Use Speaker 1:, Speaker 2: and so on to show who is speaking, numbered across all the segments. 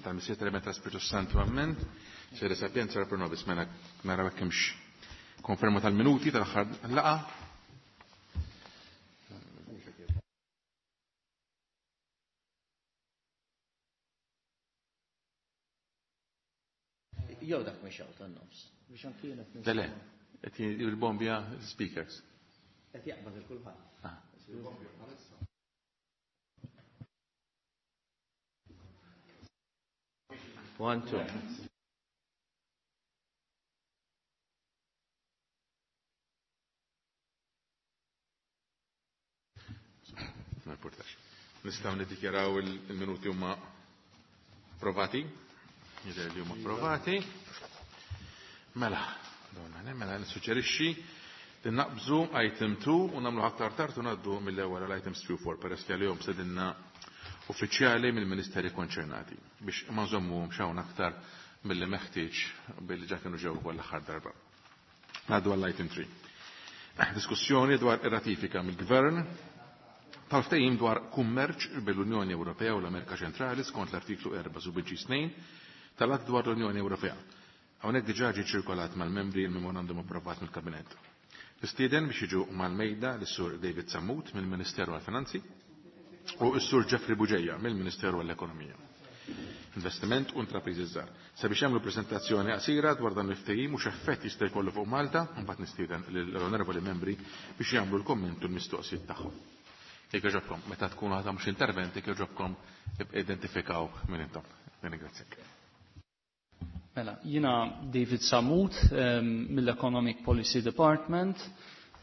Speaker 1: Tal-Missier tal-Iben tal-Spiritu Santu, ammen. Sede sapienza pro nobis, mela naraw hekk hemmx konferma tal-minuti tal-aħħar laqa.
Speaker 2: Jew dak mhix hawn tan-nofs. Biex anki jiena
Speaker 1: Le, le, qed il-bombja speakers.
Speaker 2: Qed jaqbad il kulħadd.
Speaker 1: Ah.
Speaker 2: One, two.
Speaker 1: Ma importax. Nistgħu niddikjaraw il-minuti huma approvati. Jidher li huma approvati. Mela, donna, mela nissuġġerixxi li naqbżu item 2 u nagħmlu aktar tard u ngħaddu mill-ewwel għal items 3 u 4 peress li għalihom sedinna uffiċjali mill-ministeri konċernati biex ma nżommuhomx hawn aktar milli meħtieġ billi ġa kienu ġew ukoll l-aħħar darba. Ngħaddu għall item 3. Diskussjoni dwar ir-ratifika mill-Gvern tal-ftehim dwar kummerċ bil-Unjoni Ewropea u l-Amerika Ċentrali skont l-artiklu 4 sub 2 tal-Att dwar l-Unjoni Ewropea. Hawnhekk diġà ġie ċirkolat mal-membri il-memorandum approvat mill-Kabinett. Nistieden biex jiġu mal-mejda lis-Sur David Sammut mill-Ministeru għall-Finanzi u s-Sur Jeffrey Bugeja mill-Ministeru għall-Ekonomija. Investiment u Intrapriżi Żgħar. Sabiex jagħmlu preżentazzjoni qasira dwar dan il-ftehim u x'effett jista' jkollu fuq Malta, mbagħad nistieden lill-onorevoli membri biex jagħmlu l-komment u l-mistoqsijiet tagħhom. Jekk jogħġobkom, meta tkunu ħa tagħmlu xi intervent, jekk jogħġobkom identifikaw min intom. Nirringrazzjak.
Speaker 3: Mela, jiena David Sammut mill-Economic Policy Department,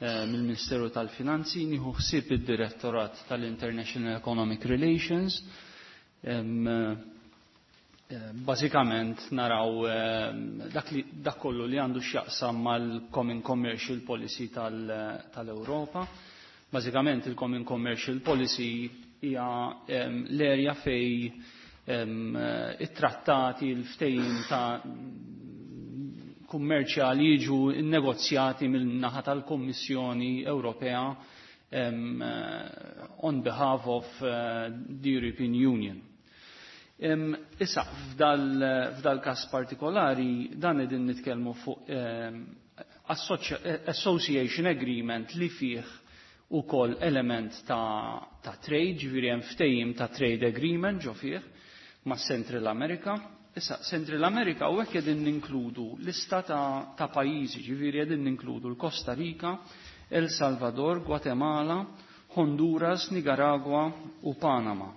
Speaker 3: mill-Ministeru tal-Finanzi, nieħu ħsieb id-Direttorat tal-International Economic Relations. Bażikament naraw dak li dak kollu li għandu x'jaqsam mal-Common Commercial Policy tal-Ewropa. Bażikament il-Common Commercial Policy hija l-erja fej it-trattati, il-ftehim ta' kummerċjali jiġu negozjati mill-naħa tal-Kommissjoni Ewropea on behalf of the European Union. Issa, f'dal kas partikolari, dan qegħdin nitkellmu fuq Association Agreement li fih ukoll element ta' trade, ġifieri hemm ftehim ta' trade agreement ġo fih ma' Central America. Issa, Central America u hekk qegħdin ninkludu lista ta' pajjiżi, ġifieri qegħdin ninkludu l-Costa Rica, El Salvador, Guatemala, Honduras, Nicaragua u Panama.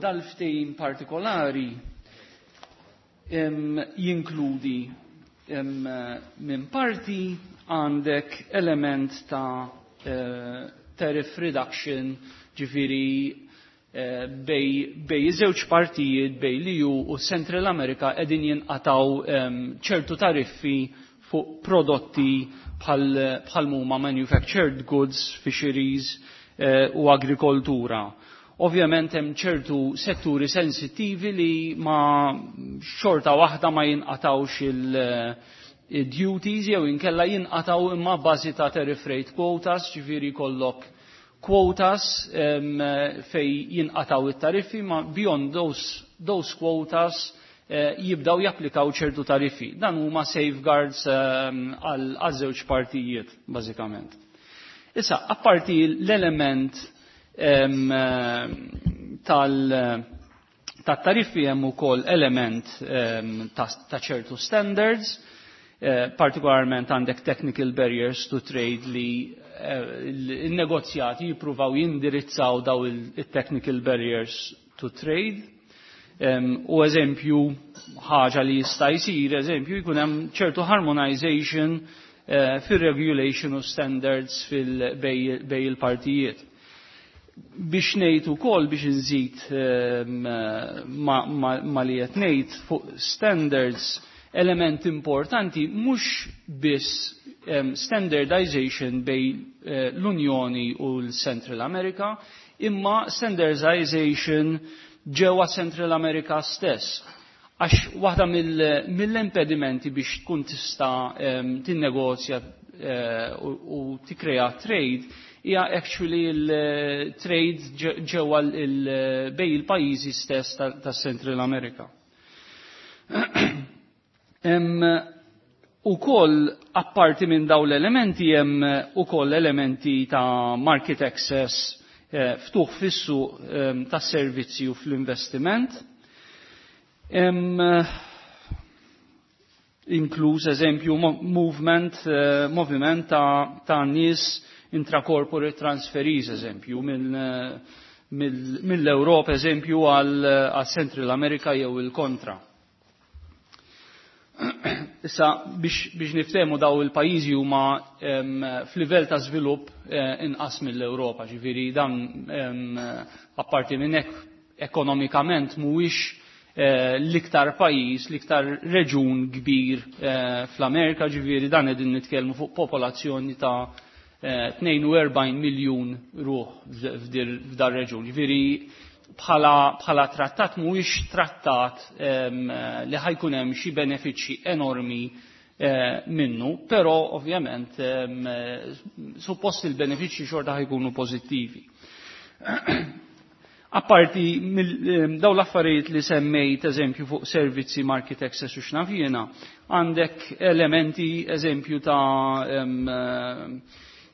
Speaker 3: Dal-ftehim partikolari jinkludi minn parti għandek element ta' tariff reduction, ġifieri bej żewġ partijiet, bej l-EU u Central America qegħdin jinqataw ċertu tariffi fuq prodotti bħal huma manufactured goods, fisheries u agrikoltura. Ovvjament hemm ċertu setturi sensittivi li ma xorta waħda ma jinqatawx il-duties jew inkella jinqataw imma bażi ta' tariff rate quotas, ġifieri kollok quotas fej jinqataw it-tariffi, ma beyond those quotas jibdaw japplikaw ċertu tariffi. Dan huma safeguards għal żewġ partijiet, bażikament. Issa, apparti l-element tat-tariffi hemm ukoll element ta' ċertu standards, partikolarment għandek technical barriers to trade li il-negozjati jippruvaw jindirizzaw daw il-technical barriers to trade. U eżempju, ħaġa li jista' jsir, eżempju, jkun hemm ċertu harmonization fir-regulation u standards bej il-partijiet. Biex ngħid ukoll biex inżid ma li qed ngħid fuq standards, element importanti mhux biss standardization bej l-Unjoni u l-Central America, imma standardization ġewwa Central America stess. Għax waħda mill-impedimenti biex tkun tista' tinnegozja u tikkrea trade hija actually il-trade ġewwa bejn il-pajjiżi stess tas-Central America. Ukoll apparti minn daw l-elementi hemm ukoll elementi ta' market access, ftuħ fis-suq tas servizzi u fl-investiment. Inkluż eżempju moviment ta' nies, intracorporate transferees eżempju mill-Europa eżempju għal Central America jew il-kontra. Issa biex niftehmu, daw il-pajjiżi huma f'livell ta' żvilupp inqas mill-Ewropa, ġifieri dan apparti minn hekk ekonomikament mhuwiex l-iktar pajjiż, l-iktar reġun kbir fl-Amerika, ġifieri dan qegħdin nitkellmu fuq popolazzjoni ta' 42 miljun ruħ f'dar reġun. Ġifieri bħala trattat mhuwiex trattat li ħa jkun hemm xi benefiċċji enormi minnu, però ovvjament suppost il-benefiċċji xorta ħa jkunu pożittivi. Apparti daw l-affarijiet li semmejt, eżempju fuq servizzi, market access u x'naf jiena, għandek elementi eżempju ta'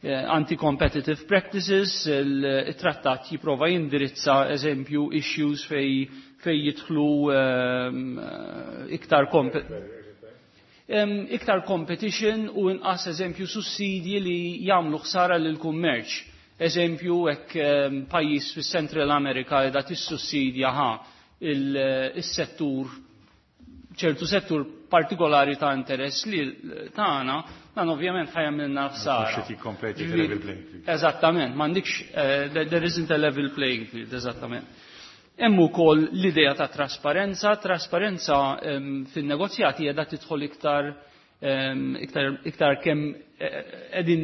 Speaker 3: anti-competitive practices, il-trattat jiprova jindirizza eżempju issues fej jidħlu iktar competition u inqas eżempju sussidji li jagħmlu ħsara lil kummerċ. Eżempju hekk pajjiż fis-Central America qiegħda tissussidja ħa il-settur, ċertu settur partikolari ta' interess li tagħna, dan ovvjament ħa jagħmilna ħsara.
Speaker 1: Mhux qed jikkompeti level playing field.
Speaker 3: Eżattament, m'għandikx there isn't a level playing field, eżattament. Hemm ukoll l-idea ta' trasparenza, trasparenza fin-negozjati qiegħda tidħol iktar kemm qegħdin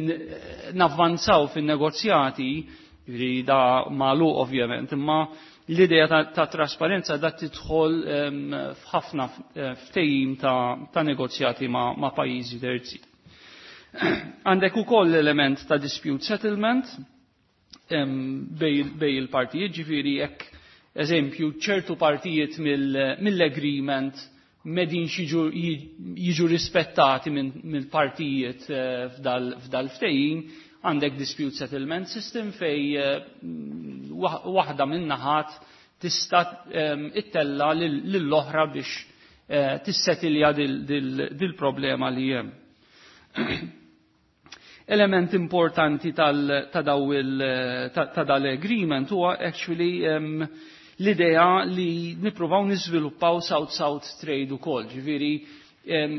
Speaker 3: navvanzaw fin-negozjati, jiġifieri da magħluq ovvjament, imma l-idea ta' trasparenza da tidħol f'ħafna ftehim ta' negozjati ma' pajjiżi terzi. Għandek ukoll l-element ta' dispute settlement bejn il-partijiet, ġifieri jekk eżempju ċertu partijiet mill-agreement m'qegħdin jiġu rispettati mill-partijiet f'dal ftehim, għandek dispute settlement system fej waħda minn naħat tista' ittella lill-oħra biex tissetilja dil-problema li hemm. Element importanti ta' dal-agreement huwa actually l-idea li nippruvaw niżviluppaw South-South trade ukoll, ġifieri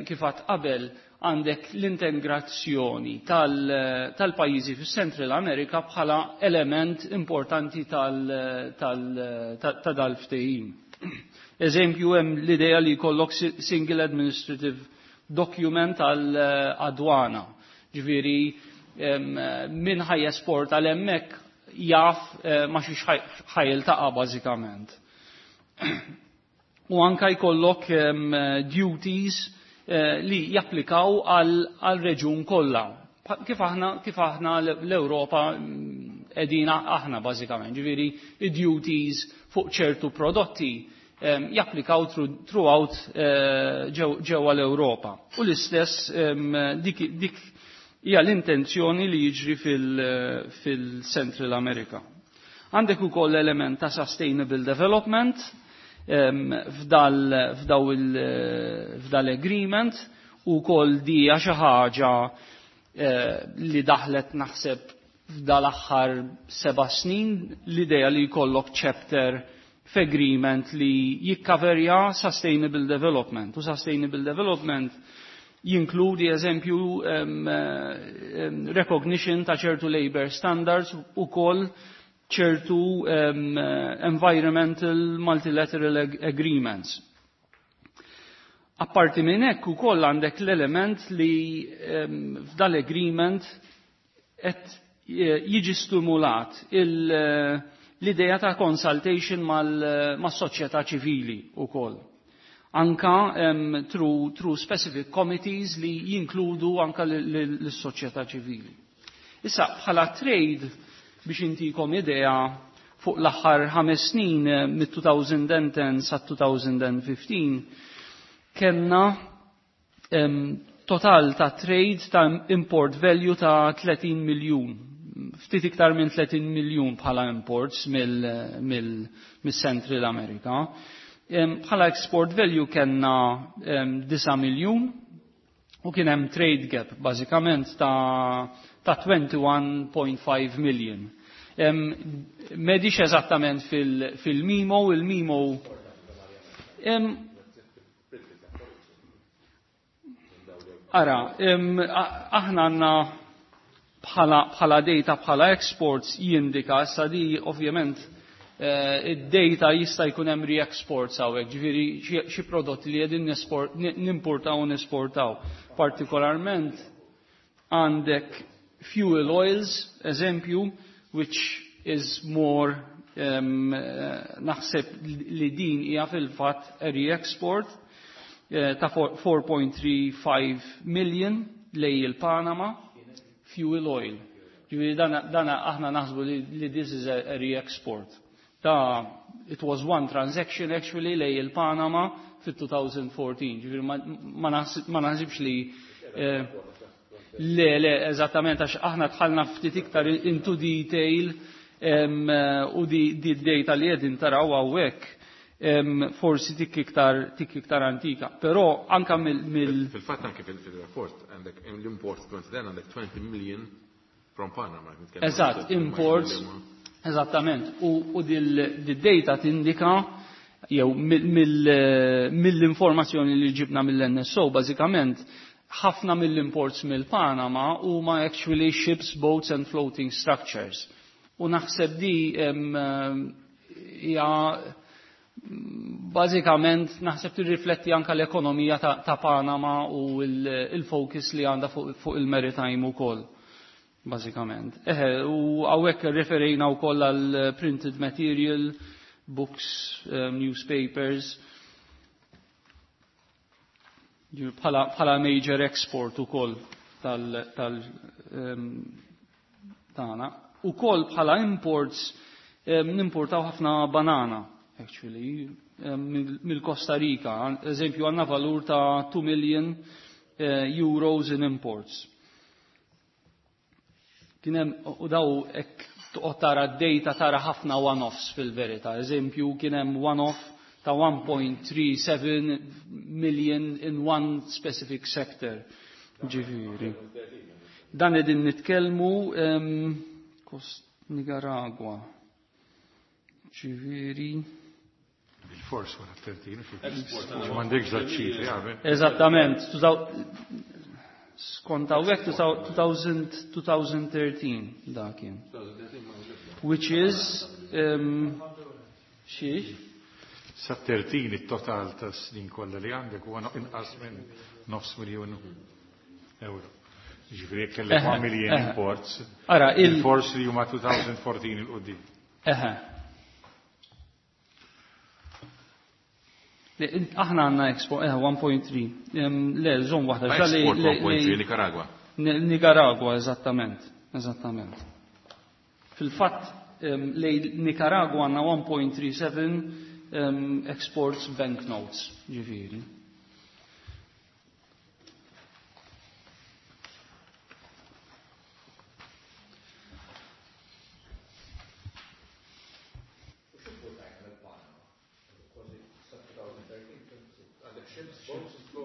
Speaker 3: kif għedt qabel, għandek l-integrazzjoni tal-pajjiżi fis Central America bħala element importanti ta' dal-ftehim. Eżempju, hemm l-idea li jkollok single administrative document għal-adwana. Ġifieri min ħa jesporta 'l hemmhekk jaf ma xiex ħa jiltaqa' bażikament. U anka jkollok duties li japplikaw għal reġun kollha. Kif aħna l-Ewropa qegħdin aħna bażikament, ġifieri duties fuq ċertu prodotti japplikaw throughout ġewwa l-Ewropa. U l-istess dik hija l-intenzjoni li jiġri fil-Central America. Għandek ukoll element ta' sustainable development f'dal agreement u kol di xi ħaġa li daħlet naħseb f'dal-aħħar 7 snin, l-idea li jkollok chapter f'agreement li jikkaverja sustainable development. U sustainable development jinkludi eżempju recognition ta' ċertu labor standards u kol ċertu environmental multilateral agreements. Apparti minn hekk ukoll għandek l-element li f'dal-agreement qed jiġi stimulat l-idea ta' consultation mas-soċjetà ċivili ukoll. Anka through specific committees li jinkludu anka l-soċjetà ċivili. Issa bħala trade biex intikom idea fuq l-aħħar 5 snin mit-2010 sa 2015 kellna total ta' trade ta' import value ta' 30 miljun. Ftit iktar minn 30 miljun bħala imports mill-Central America. Bħala export value kellna 9 miljun u kien hemm trade gap bażikament ta' 21.5 million. M'għedix eżattament fil-memo, il-memo Ara, aħna għandna bħala data bħala exports jindika, issa di ovvjament id-data jista' jkun hemm re-exports hawnhekk, ġifieri xi prodotti li qegħdin nimportaw u nesportaw. Partikolarment għandek fuel oils, eżempju, which is more naħseb li din hija fil-fatt re-export ta' 4.35 million lej il-Panama fuel oil. Ġifieri dana aħna naħsbu li this is a re-export. Ta' it was one transaction actually lej il-Panama fit-2014. Ġifieri ma naħsibx li le, eżattament, għax aħna dħalna ftit iktar into detail u di data li qegħdin taraw hawnhekk forsi tik iktar antika. Però anka mill
Speaker 1: Fil-fatt anke fil-rapport għandek l-import għandek 20 million from Panama.
Speaker 3: Eżatt, imports, eżattament. U dil-data tindika jew mill-informazzjoni li ġibna mill-NSO, bażikament ħafna mill-imports mill-Panama huma actually ships, boats and floating structures. U naħseb di hija bażikament naħseb tirrifletti anka l-ekonomija ta' Panama u il-focus li għandha fuq il-maritime ukoll. Bażikament. U hawnhekk referejna wkoll għal printed material, books, newspapers, bħala major export ukoll tal-tagħna. Ukoll bħala imports nimportaw ħafna banana, actually, mill-Costa Rica. Eżempju, għandna valur ta' 2 million euros in imports. Kien hemm, u daw hekk toqgħod tara d-data tara ħafna one-offs fil-verità. Eżempju, kien hemm one-off ta' 1.37 million in one specific sector. Ġifieri. Dan qegħdin nitkellmu Kost Nicaragua. Ġifieri.
Speaker 4: Il-fors wara 13, m'għandekx ċifri, għabe.
Speaker 3: Eżattament. Skont hawnhekk 2013 dak kien. Which is xiex?
Speaker 4: Sa 13 it-total ta' snin kollha li għandek huwa inqas minn nofs miljun euro. Ġifieri jekk kellek 1 million imports,
Speaker 3: Ara,
Speaker 4: il-force li huma 2014 il-qudiem.
Speaker 3: Le, aħna għandna export, 1.3. Le, żomm waħda.
Speaker 1: Export 1.3 Nicaragua.
Speaker 3: Nicaragua, eżattament, eżattament. Fil-fatt, lej Nicaragua għandna 1.37 exports banknotes, ġifieri.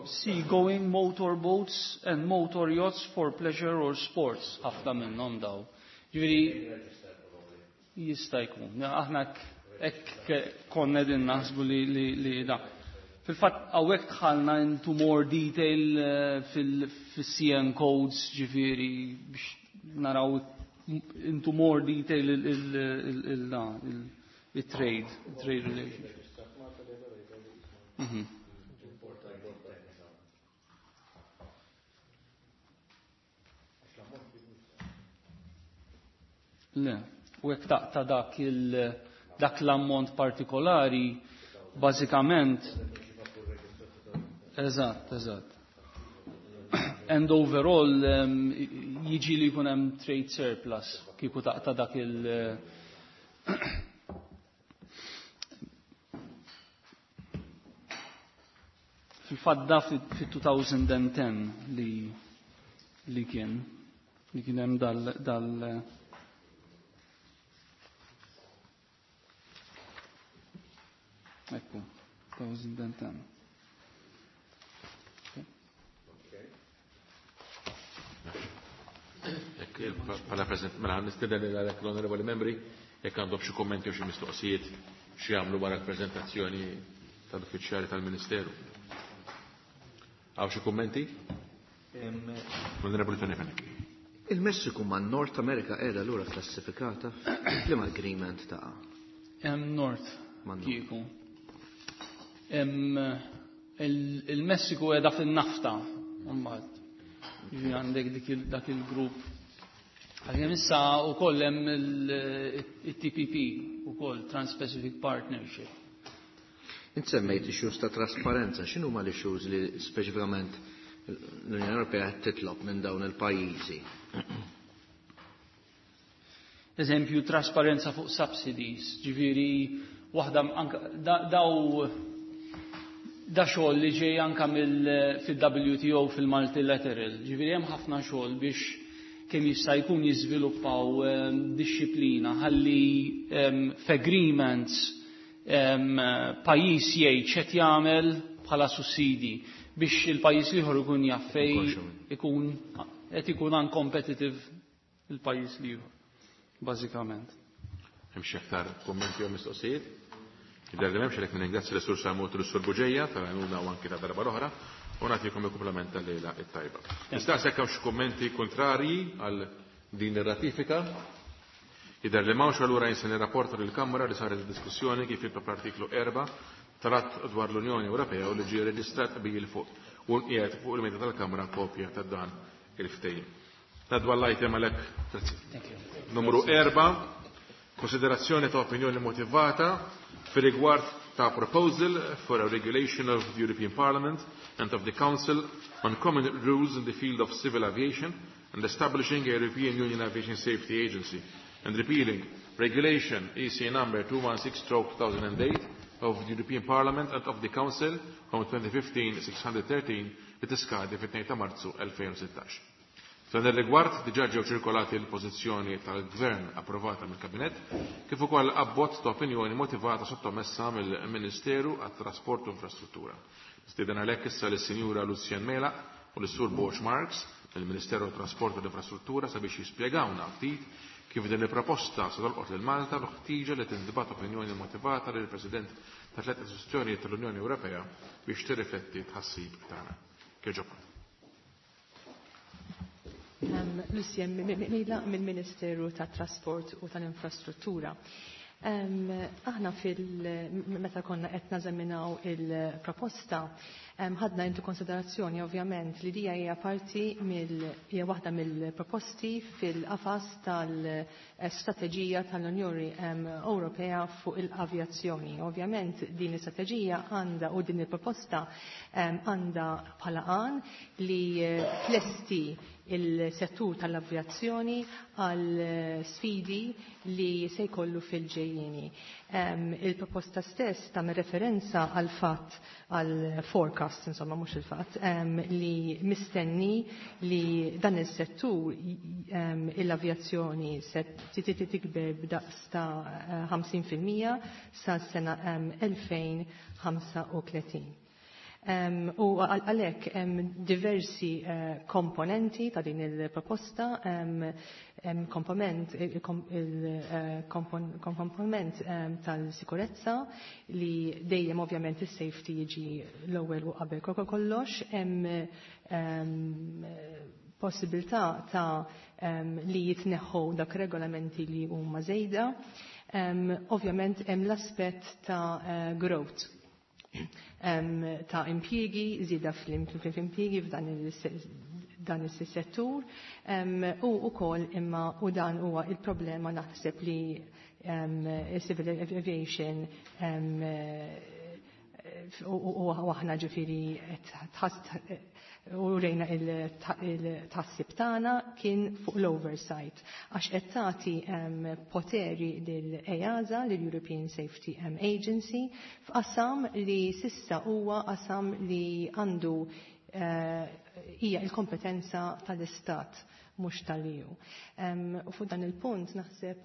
Speaker 3: Seagoing motorboats and motor yachts for pleasure or sports, ħafna minnhom daw. Ġifieri jista' jkun. Aħna hekk konna qegħdin naħsbu li da. Fil-fatt hawnhekk dħalna into more detail fil-CN codes, ġifieri biex naraw into more detail il-trade, trade relationship. Le, u jekk taqta' dak l-ammont partikolari, bażikament. Eżatt, eżatt. And overall jiġi li jkun hemm trade surplus kieku taqta' dak il- Fil-fatt da fit-2010 li kien li kien hemm dal Ekku, 2010.
Speaker 1: Bħala President, mela nistieden lil għalhekk l-onorevoli membri jekk għandhom xi kummenti u xi mistoqsijiet xi jagħmlu wara l-preżentazzjoni tal-uffiċjali tal-Ministeru. Hawn xi kummenti? L-Onorevoli Tony Fenech.
Speaker 2: Il-Messiku ma' North America qiegħda lura klassifikata f'liema agreement taqa'?
Speaker 3: Hemm North kieku. Il-Messiku qiegħda fin-nafta mbagħad. Jiġifieri għandek dak il-grupp. Għalkemm issa wkoll hemm il-TPP ukoll Trans-Pacific Partnership.
Speaker 2: Int semmejt issues ta' trasparenza, x'inhuma l-issues li speċifikament l-Unjoni Ewropea qed titlob minn dawn il-pajjiżi?
Speaker 3: Eżempju, trasparenza fuq subsidies, ġifieri waħda anka daw da xogħol li ġej anka fil-WTO fil-multilateral, ġifieri hemm ħafna xogħol biex kemm jista' jkun jiżviluppaw dixxiplina ħalli f'agreements pajjiż jgħid x'qed jagħmel bħala sussidi biex il-pajjiż l-ieħor ikun jaf fejn ikun qed ikun uncompetitive il-pajjiż l-ieħor, bażikament.
Speaker 1: Hemm xi aktar kummenti jew mistoqsijiet? Jidher li m'hemmx, għalhekk nirringrazzja lis-Sur Samut u lis-Sur Buġeja tal-għajnuna u anki ta' darba l-oħra u nagħtikom il-kumplament tal-lejla it-tajba. Nistaqsi jekk hawn xi kummenti kontrarji għal din ir-ratifika. Jidher li m'hawnx, allura jien se nirrapporta lill-Kamra li saret diskussjoni kif jitlob l-artiklu 4 tal-Att dwar l-Unjoni Ewropea u li ġie reġistrat qbil fuq u nqiegħed fuq il-mejda tal-Kamra kopja ta' dan il-ftehim. Ngħaddu għall-item għalhekk numru 4, konsiderazzjoni ta' opinjoni motivata fir-rigward ta' proposal for a regulation of the European Parliament and of the Council on common rules in the field of civil aviation and establishing a European Union Aviation Safety Agency and repealing Regulation EC number 216/2008 of the European Parliament and of the Council from 2015-613 li tiskadi fit-2 ta' Marzu 2016. F'dan ir-rigward diġà ġew ċirkolati l-pożizzjoni tal-Gvern approvata mill-Kabinett kif ukoll abbozz ta' opinjoni motivata sottomessa mill-Ministeru għat-Trasport u Infrastruttura. Nistieden għalhekk issa lis-Sinjura Lucien Mela u lis-Sur Borg Marx mill-Ministeru għat-Trasport u l-Infrastruttura sabiex jispjegawna ftit kif din il-proposta se tolqot lil Malta u ħtieġa li tintbagħat opinjoni motivata lill-President ta' tliet istituzzjonijiet tal-Unjoni Ewropea biex tirrifletti tħassib tagħna. Kieġobkom.
Speaker 5: Lucien Mela mill-Ministeru tat-Trasport u tal-Infrastruttura. Aħna fil meta konna qed nażaminaw il-proposta, ħadna into konsiderazzjoni ovvjament li dija hija parti mill hija waħda mill-proposti fil-qafas tal-strateġija tal-Unjoni Ewropea fuq il-avjazzjoni. Ovvjament din l-istrateġija għandha u din il-proposta għandha bħala għan li tlesti il-settur tal-avjazzjoni għal sfidi li se jkollu fil-ġejjieni. Il-proposta stess tagħmel referenza għal fatt għal forecast, insomma mhux il-fatt, li mistenni li dan il-settur l-avjazzjoni se tikber b'daqs ta' 50% sa sena 2035. U għalhekk hemm diversi komponenti ta' din il-proposta, hemm komponent il-komponent tal-sikurezza li dejjem ovvjament is-safety jiġi l-ewwel u qabel kollox, hemm possibilità ta' li jitneħħu dak regolamenti li huma żejda. Ovvjament hemm l-aspett ta' growth ta' impjiegi, żieda fl-impjiegi f'dan dan is-settur u wkoll imma u dan huwa il-problema naħseb li civil aviation U aħna ġifieri u rejna il-tħassib tagħna kien fuq l-oversight għax qed tagħti poteri lil EASA, lill-European Safety Agency, f'qasam li s'issa huwa qasam li għandu hija il-kompetenza tal-Istat, mhux tal-EU. U fuq dan il-punt naħseb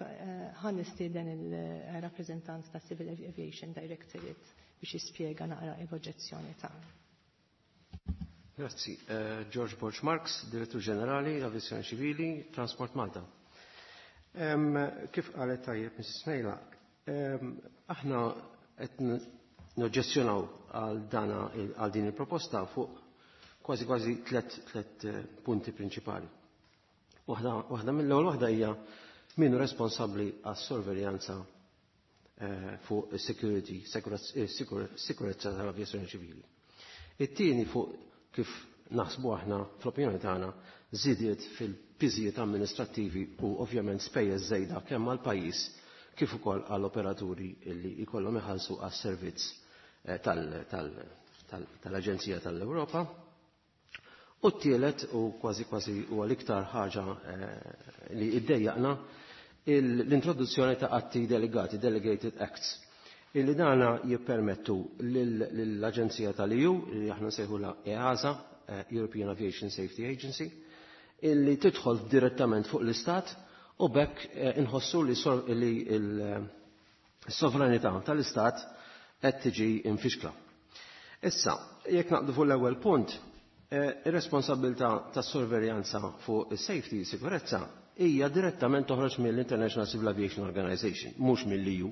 Speaker 5: ħa nistieden il-rappreżentant ta' Civil Aviation Directorate biex jispjega naqra l-oġġezzjoni tagħna.
Speaker 6: Grazzi. George Borg Marx, Direttur Ġenerali, Avjazzjoni Ċivili, Transport Malta. Kif qalet tajjeb Mrs. Mejla, aħna qed noġġezzjonaw għal din il-proposta fuq kważi kważi tlet punti prinċipali. Waħda mill-ewwel waħda hija min hu responsabbli għas-sorveljanza fuq security, sikurezza tal-avjazzjoni ċivili. It-tieni fuq kif naħsbu aħna fl-opinjoni tagħna żidiet fil-piżijiet amministrattivi u ovvjament spejjeż żejda kemm għall-pajjiż kif ukoll għall-operaturi li jkollhom iħallsu għas-servizz tal-Aġenzija tal-Ewropa. U t-tielet u kważi kważi huwa l-iktar ħaġa li iddejjaqna l-introduzzjoni ta' atti delegati, delegated acts, illi dana jippermettu l-Aġenzija tal-EU, li aħna nsejħula EASA, European Aviation Safety Agency, illi tidħol direttament fuq l-Istat u b'hekk inħossu li l-sovranità tal-Istat qed tiġi infixkla. Issa, jekk naqdu fuq l-ewwel punt, ir-responsabilità tas-sorveljanza fuq is-safety, sikurezza, hija direttament toħroġ mill-International Civil Aviation Organization, mhux mill-EU.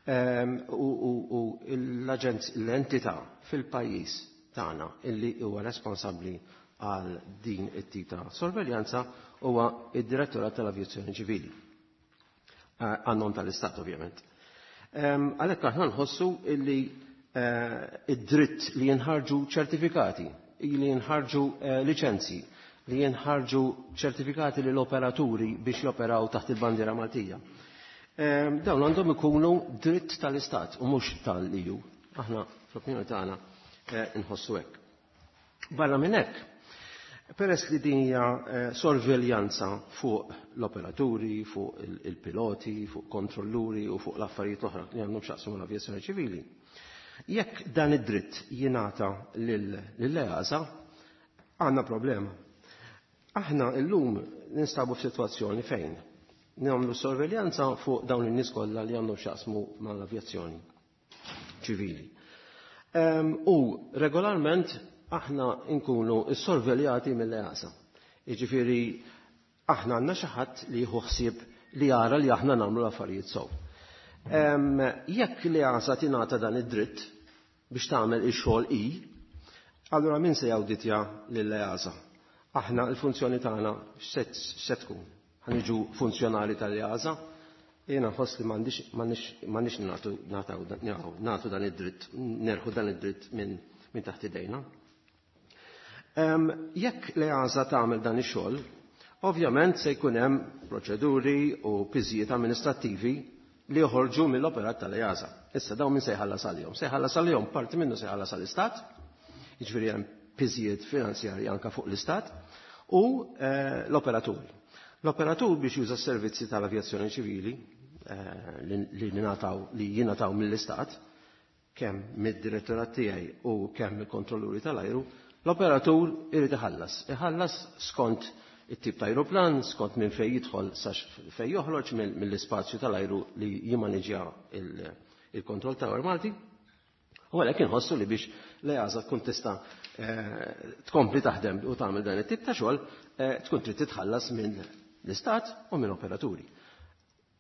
Speaker 6: U l-entità fil-pajjiż tagħna illi huwa responsabbli għal din it-tip ta' sorveljanza huwa id-Direttorat tal-Avjazzjoni Ċivili. Għan-nom tal-Istat ovvjament. Għalhekk aħna nħossu illi id-dritt li jinħarġu ċertifikati, li jinħarġu liċenzji, li jinħarġu ċertifikati lill operaturi biex joperaw taħt il-bandiera Maltija. Dawn għandhom ikunu dritt tal-Istat u mhux tal-EU. Aħna fl-opinjoni tagħna nħossu hekk. Barra minn hekk, peress li din hija sorveljanza fuq l-operaturi, fuq il-piloti, fuq kontrolluri u fuq l-affarijiet oħra li għandhom x'jaqsmu mal-avjazzjoni ċivili. Jekk dan id-dritt jingħata lill-EASA, għandna problema. Aħna llum ninstabu f'sitwazzjoni fejn nagħmlu sorveljanza fuq dawn in-nies kollha li għandhom x'jaqsmu mal-avjazzjoni ċivili. U regolarment aħna nkunu sorveljati mill-EASA. Jiġifieri aħna għandna xi ħadd li jieħu ħsieb li jara li aħna nagħmlu l-affarijiet sew. Jekk l-EASA tingħata dan id-dritt biex tagħmel ix-xogħol i, allura min se jawditja lill-EASA? Aħna l-funzjoni tagħna x'se tkun? Ħa niġu funzjonali tal-EASA? Jiena nħoss li m'għandniex nagħtu dan id-dritt, nerħu dan id-dritt minn taħt idejna. Jekk l-EASA tagħmel dan ix-xogħol, ovvjament se jkun hemm proċeduri u piżijiet amministrattivi li joħorġu mill-operat tal-EASA. Issa dawn min se jħallas għalihom? Se jħallas għalihom parti minnu se jħallas għall-Istat, jiġifieri hemm piżijiet finanzjarji anke fuq l-Istat, u l-operaturi. L-operatur biex juża s-servizzi tal-avjazzjoni ċivili li jingħataw mill-Istat, kemm mid-direttorat tiegħi u kemm mill-kontrolluri tal-ajru, l-operatur irid iħallas. Iħallas skont it-tip ta' ajruplan, skont minn fejn jidħol sa fejn joħroġ mill-ispazju tal-ajru li jimmaniġja il-Control Tower Malti. U għalhekk inħossu li biex l-EASA tkun tista' tkompli taħdem u tagħmel dan it-tip ta' xogħol, tkun trid titħallas minn l-Istat u minn operaturi.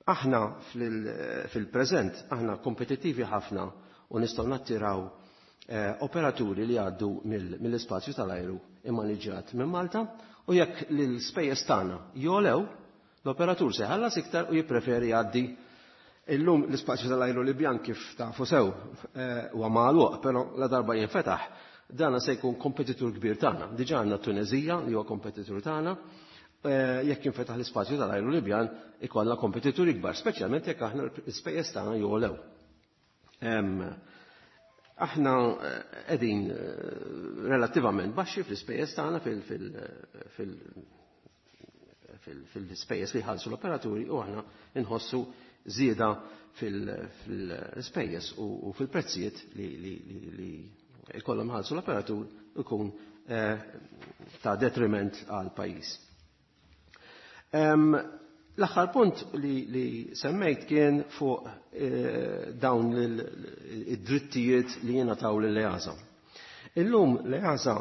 Speaker 6: Aħna fil-preżent aħna kompetittivi ħafna u nistgħu nattiraw operaturi li jgħaddu mill-ispazju tal-ajru immaniġġjat minn Malta, u jekk l-ispejjeż tagħna jolew, l-operatur se jħallas iktar u jippreferi jgħaddi. Illum l-ispazju tal-ajru Libjan kif tafu sew huwa magħluq, però la darba jinfetaħ, dana se jkun kompetitur kbir tagħna. Diġà għandna Tunezija li huwa kompetitur tagħna. Jekk jinfetaħ l-ispazju tal-ajru Libjan ikollna kompetituri kbar, speċjalment jekk aħna l-ispejjeż tagħna jolew. Aħna qegħdin relattivament baxxi fl-ispejjeż tagħna, fil-ispejjeż li jħallsu l-operaturi, u aħna nħossu żieda fil-ispejjeż u fil-prezzijiet li jkollhom iħallsu l-operatur ikun ta' detriment għal pajjiż. L-aħħar punt li semmejt kien fuq dawn id-drittijiet li jingħataw lill-EASA. Illum l-EASA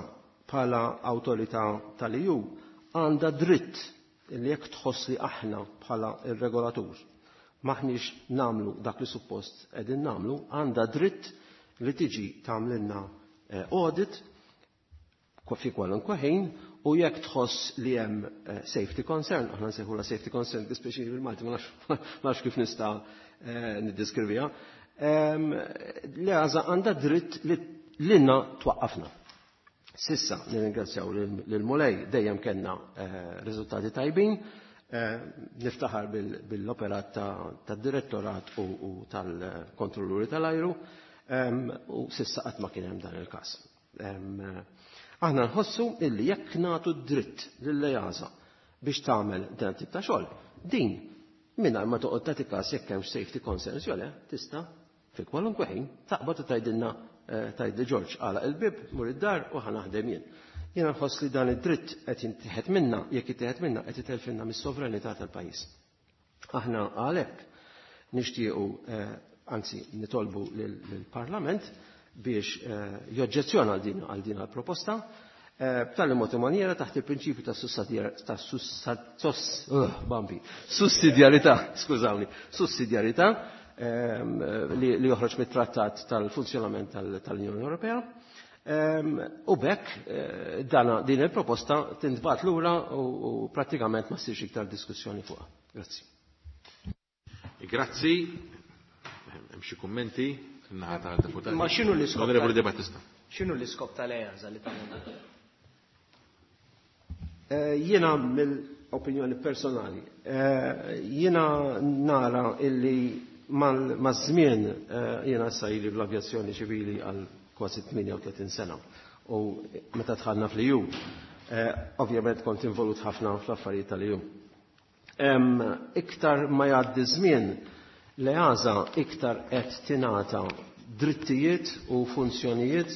Speaker 6: bħala awtorità tal-EU għandha dritt li jekk tħoss li aħna bħala ir-regolatur maħniex nagħmlu dak li suppost qegħdin nagħmlu, għandha dritt li tiġi tagħmlilna audit fi kwalunkwe ħin, u jekk tħoss li hemm safety concern, aħna nsejħula safety concern, dispeċini bil-Malti ma nafx kif nista' niddeskriviha, l-EASA għandha dritt li lilna twaqqafna. S'issa, nirringrazzjaw lill-Mulej, dejjem kellna riżultati tajbin, niftaħar bil-operat tad-direttorat u tal-kontrolluri tal-ajru, u s'issa qatt ma kien hemm dan il-każ. Aħna nħossu illi jekk nagħtu dritt lill-EASA biex tagħmel dan tip ta' xogħol, din mingħajr ma toqgħod tagħti każ jekk hemm safety concerns jew le, tista' fi kwalunkwe ħin taqbad u tgħidilna, tgħid li "Ġorġ, għalaq il-bib, mur id-dar u ħa naħdem jien." Jiena nħoss li dan id-dritt qed jittieħed minna, jekk jittieħed minna qed itelfinna mis-sovranità tal-pajjiż. Aħna għalhekk nixtiequ, anzi nitolbu lill-Parlament biex joġġezzjona għal din proposta b'tali mod u maniera taħt il-prinċipju ta' sussidjarità, skużawni, sussidjarità li joħroġ mit-trattat tal-funzjonament tal-Unjoni Ewropea. U b'hekk din il-proposta tintbagħat lura u prattikament ma ssirx iktar diskussjoni fuqha. Grazzi.
Speaker 1: Grazzi. Hemm xi kummenti naħa tad-deputati?
Speaker 7: Ma x'inhu l-iskop?
Speaker 1: Onorevoli De Battista.
Speaker 7: X'inhu l-iskop tal-EASA li tagħmel?
Speaker 6: Jiena mill-opinjoni personali, jiena nara illi maż-żmien, jiena issa ili fl-avjazzjoni ċivili għal kważi 38 sena u meta dħalna fl-EU, ovvjament kont involut ħafna fl-affarijiet tal-EU. Iktar ma jgħaddi żmien, l-EASA iktar qed tingħata drittijiet u funzjonijiet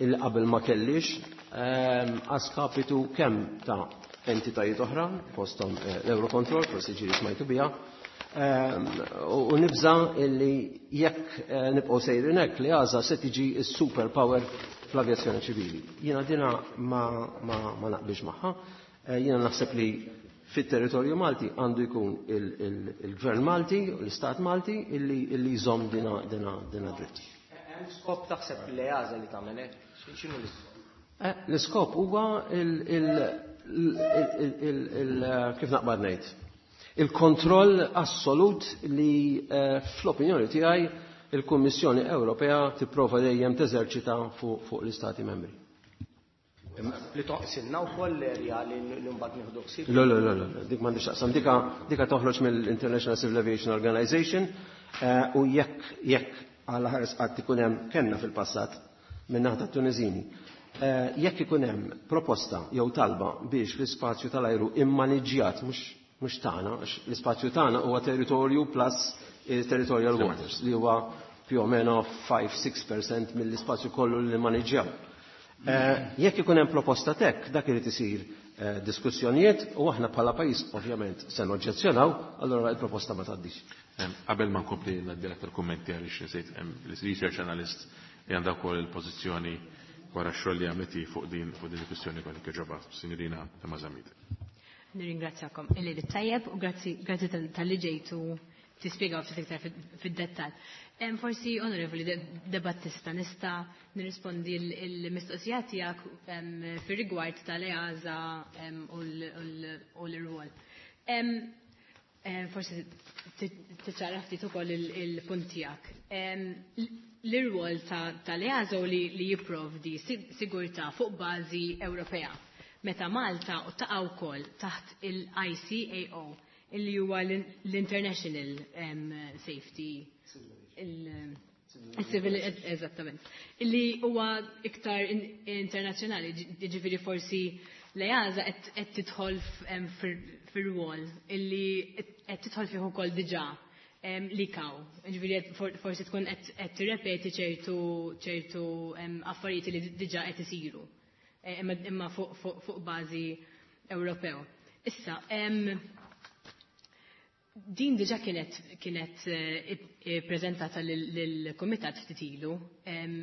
Speaker 6: il qabel ma kellix, a skapitu kemm ta' entitajiet oħra, fosthom l-Eurocontrol, forsi ġieli smajtu biha, u nibża illi jekk nibqgħu sejrin hekk, l-EASA se tiġi s-superpower fl-avjazzjoni ċivili. Jiena dina ma naqbilx magħha, jiena naħseb li fit-territorju Malti għandu jkun il-Gvern Malti u l-Istat Malti illi jżomm dina dritt.
Speaker 7: Hemm skop taħseb l-EASA li tagħmel hekk? X'inhu l-iskop?
Speaker 6: L-iskop huwa kif naqbad ngħid, il-kontroll assolut li fl-opinjoni tiegħi il-Kummissjoni Ewropea tipprova dejjem teżerċita fuq l-Istati membri.
Speaker 7: Li toqsilna wkoll l-erja li mbagħad nieħdu ħsieb.
Speaker 6: Le, le, le, le, dik m'għandix taqsam, dika toħroġ mill-International Civil Aviation Organization u jekk għal ħares qatt ikun hemm, kellna fil-passat minn naħa Tuneżini. Jekk ikun hemm proposta jew talba biex l-ispazju tal-ajru immaniġġjat mhux tagħna, għax l-ispazju tagħna huwa territorju plus territorial waters li huwa più o meno 5-6% mill-ispazju kollu li maniġġjaw. Jekk ikun hemm proposta hekk, dak irid isir diskussjonijiet u aħna bħala pajjiż ovvjament se noġġezzjonaw, allura il-proposta ma tgħaddix.
Speaker 1: Qabel ma nkompli ngħaddi aktar kummenti, għaliex nsejt, hemm l-research analyst li għandha wkoll il-pożizzjoni wara x-xogħol li għamleti fuq din il-kwistjoni kollha kieġoba, Signorina Zammit.
Speaker 8: Nirringrazzjakom illi tajjeb u grazzi talli ġejtu tispjegaw ftit iktar fid-dettall. Forsi, Onorevoli De Battista, nista' nirrispondi l-mistoqsija tiegħek fir-rigward tal-EASA u l-irwol. Forsi tiċċara ftit ukoll il-punt tiegħek. L-irwol tal-EASA u li jipprovdi sigurtà fuq bażi Ewropea. Meta Malta u taqa' wkoll taħt il-ICAO, illi huwa l-International Safety il Civil, eżattament. Illi huwa iktar internazzjonali, ġifieri forsi l-EASA qed tidħol fir-rwol illi qed tidħol fih ukoll diġà l-ICAO. Ġifieri forsi tkun qed tirrepeti ċertu affarijiet li diġà qed isiru. Imma fuq bażi Ewropew. Issa, din diġà kienet prezentata lill-Kumitat ftit ilu.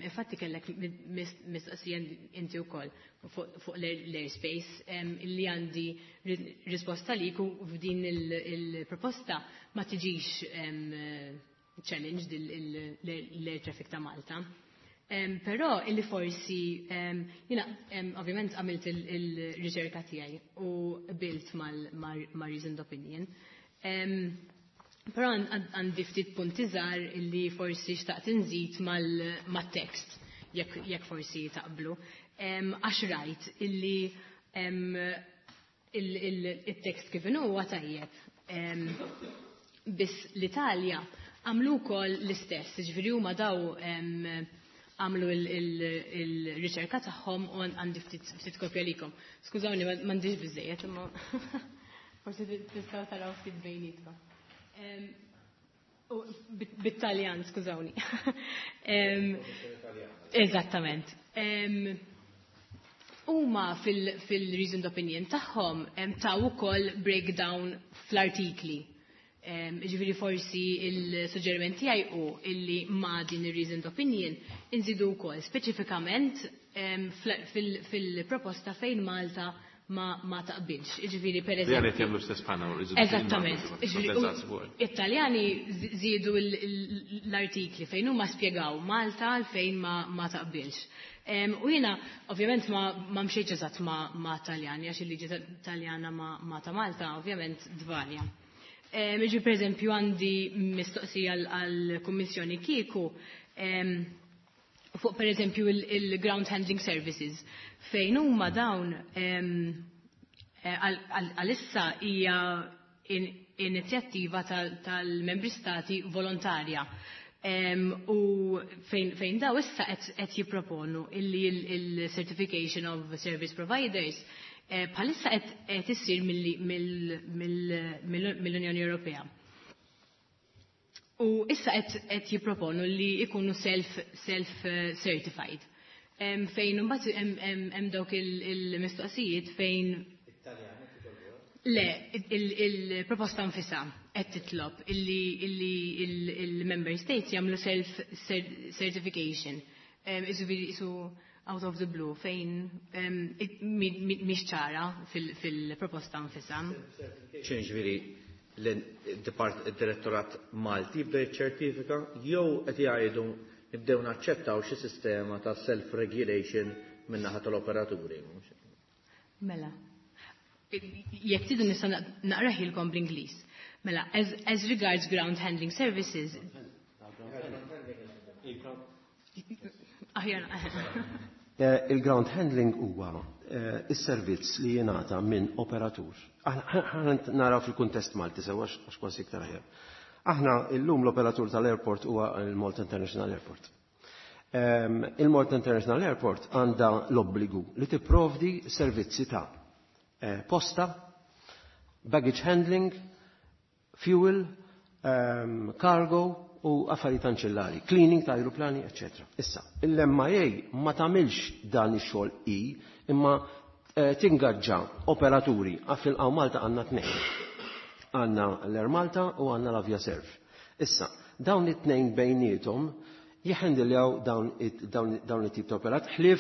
Speaker 8: Infatti kellek mistoqsija inti wkoll fuq l-airspace li għandi risposta lik u f'din il-proposta ma tiġix challenged l-air traffic ta' Malta. Però illi forsi jiena ovvjament għamilt il-riċerka tiegħi u qbilt ma' reasoned opinion. Però għandi ftit punti żgħar illi forsi xtaqt inżid mat-tekst jekk forsi taqblu. Għax rajt illi il-tekst kif inhu huwa tajjeb. Biss l-Italja għamlu wkoll l-istess, ġifieri huma daw għamlu il-riċerka tagħhom u għandi ftit kopja likom. Skużawni, m'għandix biżejjed, imma forsi tistgħu taraw ftit bejnietkom. Bit-Taljan, skużawni. Eżattament. Huma fil-reasoned opinion tagħhom taw ukoll breakdown fl-artikli. Ġifieri forsi il-suġġeriment tiegħi hu illi ma' din ir-reasoned opinion inżidu wkoll speċifikament fil-proposta fejn Malta ma taqbilx. Ġifieri per
Speaker 1: Li
Speaker 8: eżempju.
Speaker 1: jagħmlu stess bħalna.
Speaker 8: Eżattament. Italjani żiedu l-artikli fejn huma spjegaw Malta fejn ma taqbilx. U jiena ovvjament ma mxejtx eżatt ma' Taljani għax il-liġi Taljana ma' ta' Malta ovvjament tvarja. Ġi per eżempju għandi mistoqsija għall-Kummissjoni kieku fuq per eżempju il-ground handling services fejn huma dawn għalissa hija inizjattiva tal-membri stati volontarja. U fejn daw issa qed jipproponu illi il-certification of service providers bħalissa qed issir mill-Unjoni Ewropea. U issa qed jipproponu li ikunu self certified. Fejn imbagħad hemm dawk il-mistoqsijiet fejn Le, il-proposta nfisha qed titlob illi il-member states jagħmlu self certification. Isu out of the blue fejn mhix ċara fil-proposta nfisha.
Speaker 2: Ġifieri l-Direttorat Malti jibda jiċċertifika jew qed jgħidu nibdew naċċettaw xi sistema ta' self-regulation min-naħa tal-operaturi.
Speaker 8: Mela. Jekk tridu nista' naqrahielkom bl-Ingliż. Mela, as regards ground handling services. Aħjar.
Speaker 6: Il-ground handling huwa is-servizz li jingħata minn operatur. Aħna naraw fil-kuntest Malti sewa għax kważi iktar aħjar. Aħna illum l-operatur tal-airport huwa il-Malta International Airport. Il-Malta International Airport għandha l-obbligu li tipprovdi servizzi ta' posta, baggage handling, fuel, cargo u affarijiet anċillari, cleaning ta' aeroplani, eccetera. Issa, l-MIA ma tagħmilx dan ix-xogħol i, imma tingaġġa operaturi għaf hawn Malta għandna tnejn. Għandna l-Air Malta u għandna l-Avia Serv. Issa, dawn it-tnejn bejniethom jihhandiljaw dawn it-tip ta' operat, ħlief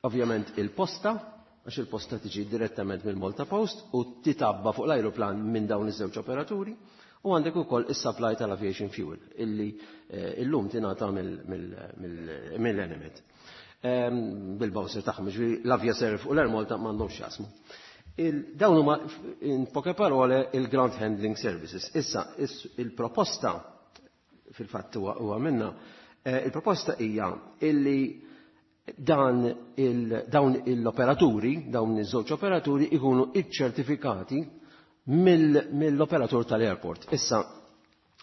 Speaker 6: ovvjament il-posta, għax il-posta tiġi direttament mill-Malta Post u titabba fuq l-aeroplan minn dawn iż-żewġ operaturi, u għandek ukoll is-supply tal-aviation fuel illi illum tingħata mill-Enemed. Bil-bowser tagħhom, ġifieri l-Avia Serv u l-Air Malta m'għandhomx jaqsmu. Dawn huma in poche parole il-ground handling services. Issa il-proposta fil-fatt huwa minna, il-proposta hija illi dawn l-operaturi, dawn iż-żewġ operaturi ikunu iċċertifikati mill-operatur tal-airport. Issa,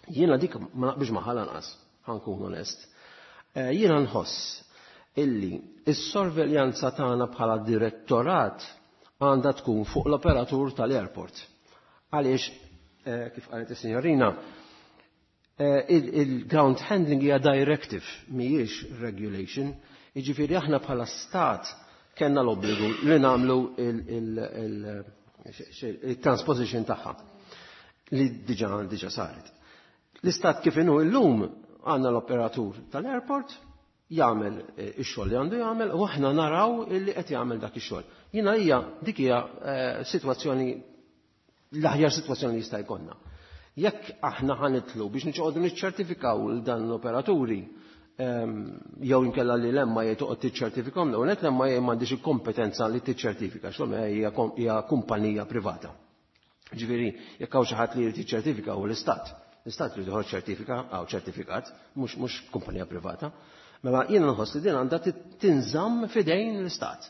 Speaker 6: jiena dik ma naqbilx magħha lanqas, ħa nkun onest. Jiena nħoss illi s-sorveljanza tagħna bħala direttorat għandha tkun fuq l-operatur tal-airport. Għaliex, kif qalet is-sinjorina, il-ground handling hija directive, mhijiex regulation. Jiġifieri aħna bħala stat kellna l-obbligu li nagħmlu il-transposition tagħha li diġà saret. L-istat kif inhu llum għandna l-operatur tal-airport jagħmel ix-xogħol li għandu jagħmel u aħna naraw illi qed jagħmel dak ix-xogħol. Jiena hija dik hija sitwazzjoni, l-aħjar sitwazzjoni li jista' jkollna. Jekk aħna ħanitlu biex niċqogħdu niċċertifikaw lil dan l-operaturi, jew inkella li l-MIA toqgħod tiċċertifikhom, l-ewwel nett l-MIA m'għandix il-kompetenza li tiċċertifika, x'l hija kumpanija privata. Ġifieri, jekk hawn xi ħadd li jrid jiċċertifika huwa l-Istat. L-Istat li joħroġ ċertifika hawn ċertifikat, mhux kumpanija privata. Mela jiena nħoss li din għandha tinżamm f'idejn l-Istat.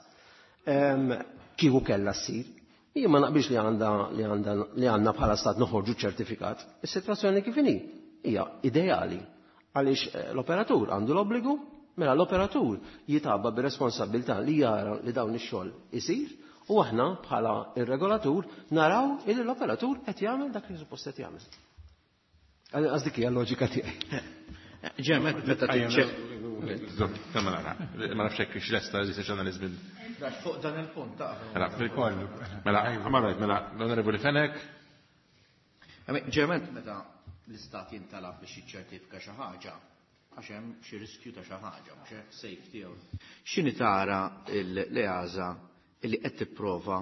Speaker 6: Kieku kellha ssir. Jien ma naqbilx li għandna bħala stat noħorġu ċertifikat. Is-sitwazzjoni kif inhi hija ideali għaliex l-operatur għandu l-obbligu, mela l-operatur jitgħabba bir-responsabilità li jara li dawn ix-xogħol isir u aħna bħala ir-regolatur naraw illi l-operatur qed jagħmel dak li suppost qed jagħmel. Għax dik hija l-loġika tiegħi.
Speaker 2: Ġem, meta tiċċe-
Speaker 1: Ma nafx hekk x'lesta li se ġurnaliżm.
Speaker 2: Fuq dan il-punt ta'
Speaker 1: Mela, mela, mela, l-Onorevoli Fenech.
Speaker 2: Ġerment meta l-istat jintalab biex jiċċertifika xi ħaġa, għax hemm xi riskju ta' xi ħaġa, mhux hekk, safety jew. X'inhi tara l-EASA illi qed tipprova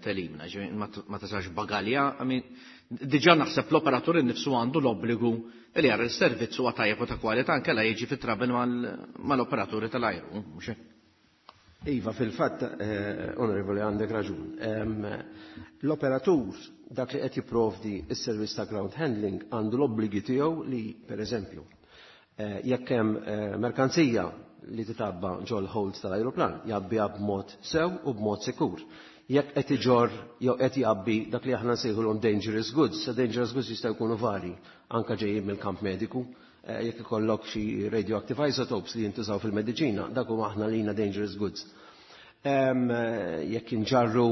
Speaker 2: telimna, ġifieri ma tasax bagalja, diġà naħseb l-operatur innifsu għandu l-obbligu li jara s-servizz huwa tajjeb u ta' kwalità anke la jiġi fit-trouble mal-operaturi tal-ajru, mhux hekk?
Speaker 6: Iva, fil-fatt, onorevoli, għandek raġun. L-operatur dak li qed jipprovdi s-servizz ta' ground handling għandu l-obbligi tiegħu li, per eżempju, jekk hemm merkanzija li titabba ġol holds tal-ajruplan, jgħabbiha b'mod sew u b'mod sikur. Jekk qed iġorr jew qed jgħabbi dak li aħna nsejħulhom dangerous goods, sa dangerous goods jistgħu jkunu vari, anke ġejjin mill-kamp mediku, jekk ikollok xi radioactive isotopes li jintużaw fil-mediċina, dak huma aħna lina dangerous goods. Jekk inġarru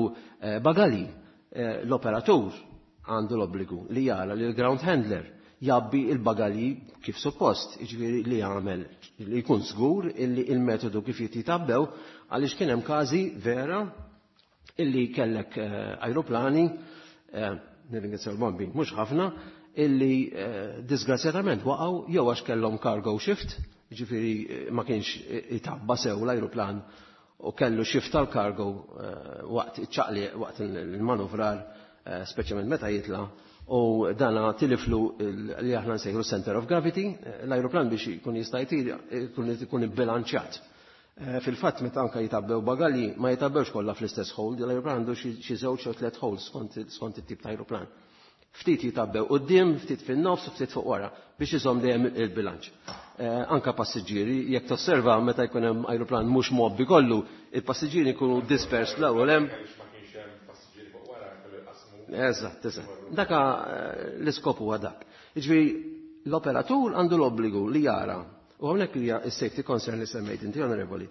Speaker 6: bagali, l-operatur għandu l-obbligu li jara li l-ground handler jgħabbi il-bagalji kif suppost, jiġifieri li jagħmel li jkun żgur illi il-metodu kif jitjitabbew, għaliex kien hemm każi vera illi kellek ajruplani, nirringrazzjaw l-bombi, mhux ħafna, illi disgrazzjatament waqgħu jew għax kellhom cargo shift, jiġifieri ma kienx itabba sew l-ajruplan u kellu shift tal-cargo waqt iċ-ċaqli, waqt il-manuvrar, speċjalment meta jitla', u dana tiliflu li aħna nsejħu center of gravity, l-ajruplan biex jkun jista' jtir, jkun ibbilanċjat. Fil-fatt meta anke jitabbew bagalji ma jitabbewx kollha fl-istess hold, l-ajruplan għandu xi żewġ jew tliet holds skont it-tip ta' ajruplan. Ftit jitabbew quddiem, ftit fin-nofs u ftit fuq wara biex iżomm dejjem il-bilanċ. Anka passiġġieri, jekk tosserva meta jkun hemm ajruplan mhux mgħobbi kollu, il-passiġġieri jkunu dispersed l-ewwel hemm. Eżatt, eżatt. Daka l-iskop huwa dak. Jiġifieri l-operatur għandu l-obbligu li jara, u hawnhekk hija s-safety concern li semmejt inti, onorevoli.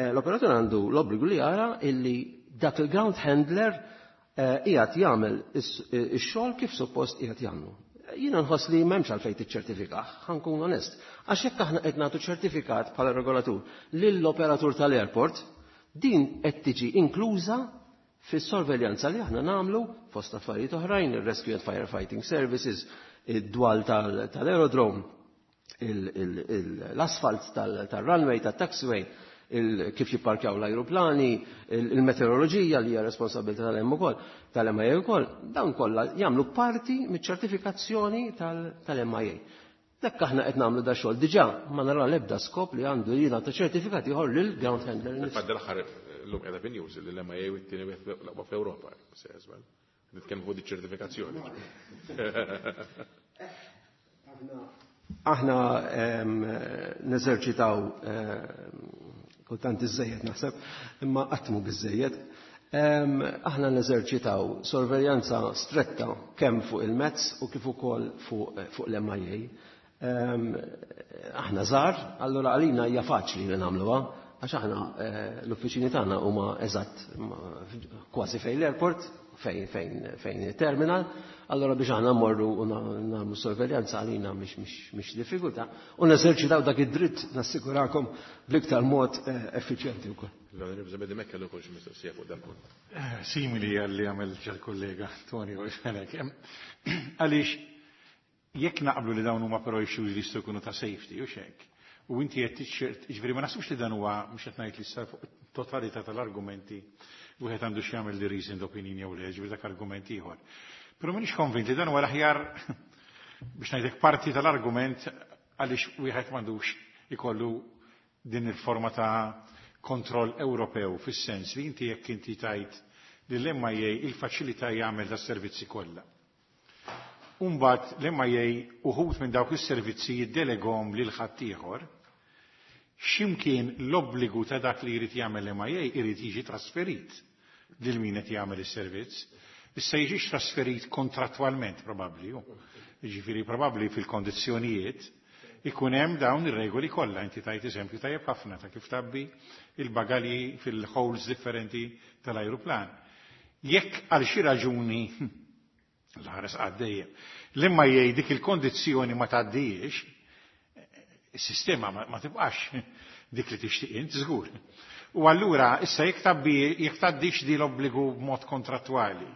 Speaker 6: L-operatur għandu l-obbligu li jara illi dak il-ground handler qiegħed jagħmel ix-xogħol kif suppost qiegħed jagħmlu. Jiena nħoss li m'hemmx għalfejn tiċċertifikah, ħa nkun onest. Għax jekk aħna qed nagħtu ċertifikat bħala regolatur lill-operatur tal-airport, din qed tiġi inkluża fis-sorveljanza li aħna nagħmlu fost affarijiet oħrajn, il-Rescue and Firefighting Services, id-dwal tal-aerodrome, l-asfalt tal-runway, tal-taxiway, kif jipparkjaw l-ajruplani, il-meteoroloġija li hija responsabilità tal-M ukoll, tal-MIA ukoll, dawn kollha jagħmlu parti miċ-ċertifikazzjoni tal-MIA. Dak aħna qed nagħmlu da xogħol diġà ma nara l-ebda skop li għandu jingħata ċertifikat ieħor lil ground handler.
Speaker 1: Fil-fatt l-aħħar llum qiegħda fin-news li l-MIA u t-tieni wieħed l-aqwa fl-Ewropa, se as well. Nitkellmu fuq ċertifikazzjoni.
Speaker 6: Aħna neżerċitaw kultant iżejjed naħseb, imma qatt mhu biżejjed. Aħna neżerċitaw sorveljanza stretta kemm fuq il-Mezz u kif ukoll fuq l-MIA. Aħna żgħar, allura għalina hija faċli li nagħmluha, għax aħna l-uffiċini tagħna huma eżatt kważi fejn l-airport, fejn il-terminal, allora biex aħna mmorru u nagħmlu sorveljanza għalina mhix diffikultà u neżerċitaw dak id-dritt, nassigurakom, bl-iktar mod effiċjenti wkoll.
Speaker 1: L-Onorevoli Zabedi Mekka l xi mistoqsija fuq dan punt.
Speaker 4: Simili għalli għamel ġal-kollega Tony Fenech. Għaliex jekk naqblu li dawn huma però issues li jistgħu jkunu ta' safety u xek, u inti qed tiċċert, jiġifieri ma naħsibx li dan huwa, mhux qed ngħid li issa fuq totalità tal-argumenti wieħed għandu x'jagħmel li reasoned opinion jew le, ġifieri dak argument ieħor. Però m'iniex konvint li dan huwa l-aħjar, biex ngħidlek, parti tal-argument għaliex wieħed m'għandux ikollu din il-forma ta' kontroll Ewropew, fis-sens li inti jekk inti tajt li l-MIA il-faċilità jagħmel da servizzi kollha. Umbat l-MIA uħut minn dawk is-servizzi jiddelegom lil ħaddieħor, x'imkien l-obbligu ta' dak li jrid jagħmel l-MIA jrid jiġi trasferit lil min qed jagħmel is-servizz. Issa jiġix trasferit kontrattwalment probabbli, jiġifieri probabbli fil-kondizzjonijiet ikun hemm dawn ir-regoli kollha. Inti tajt eżempju tajjeb ħafna ta' kif tgħabbi il-bagalji fil-holes differenti tal-ajruplan. Jekk għal xi raġuni, l-ħares għaddejjem, l-imma jgħid dik il-kondizzjoni ma tgħaddijiex, is-sistema ma tibqax dik li tixtieq int żgur. U allura issa jekk tgħabbi, jekk tgħaddix di l-obbligu b'mod kontrattwali,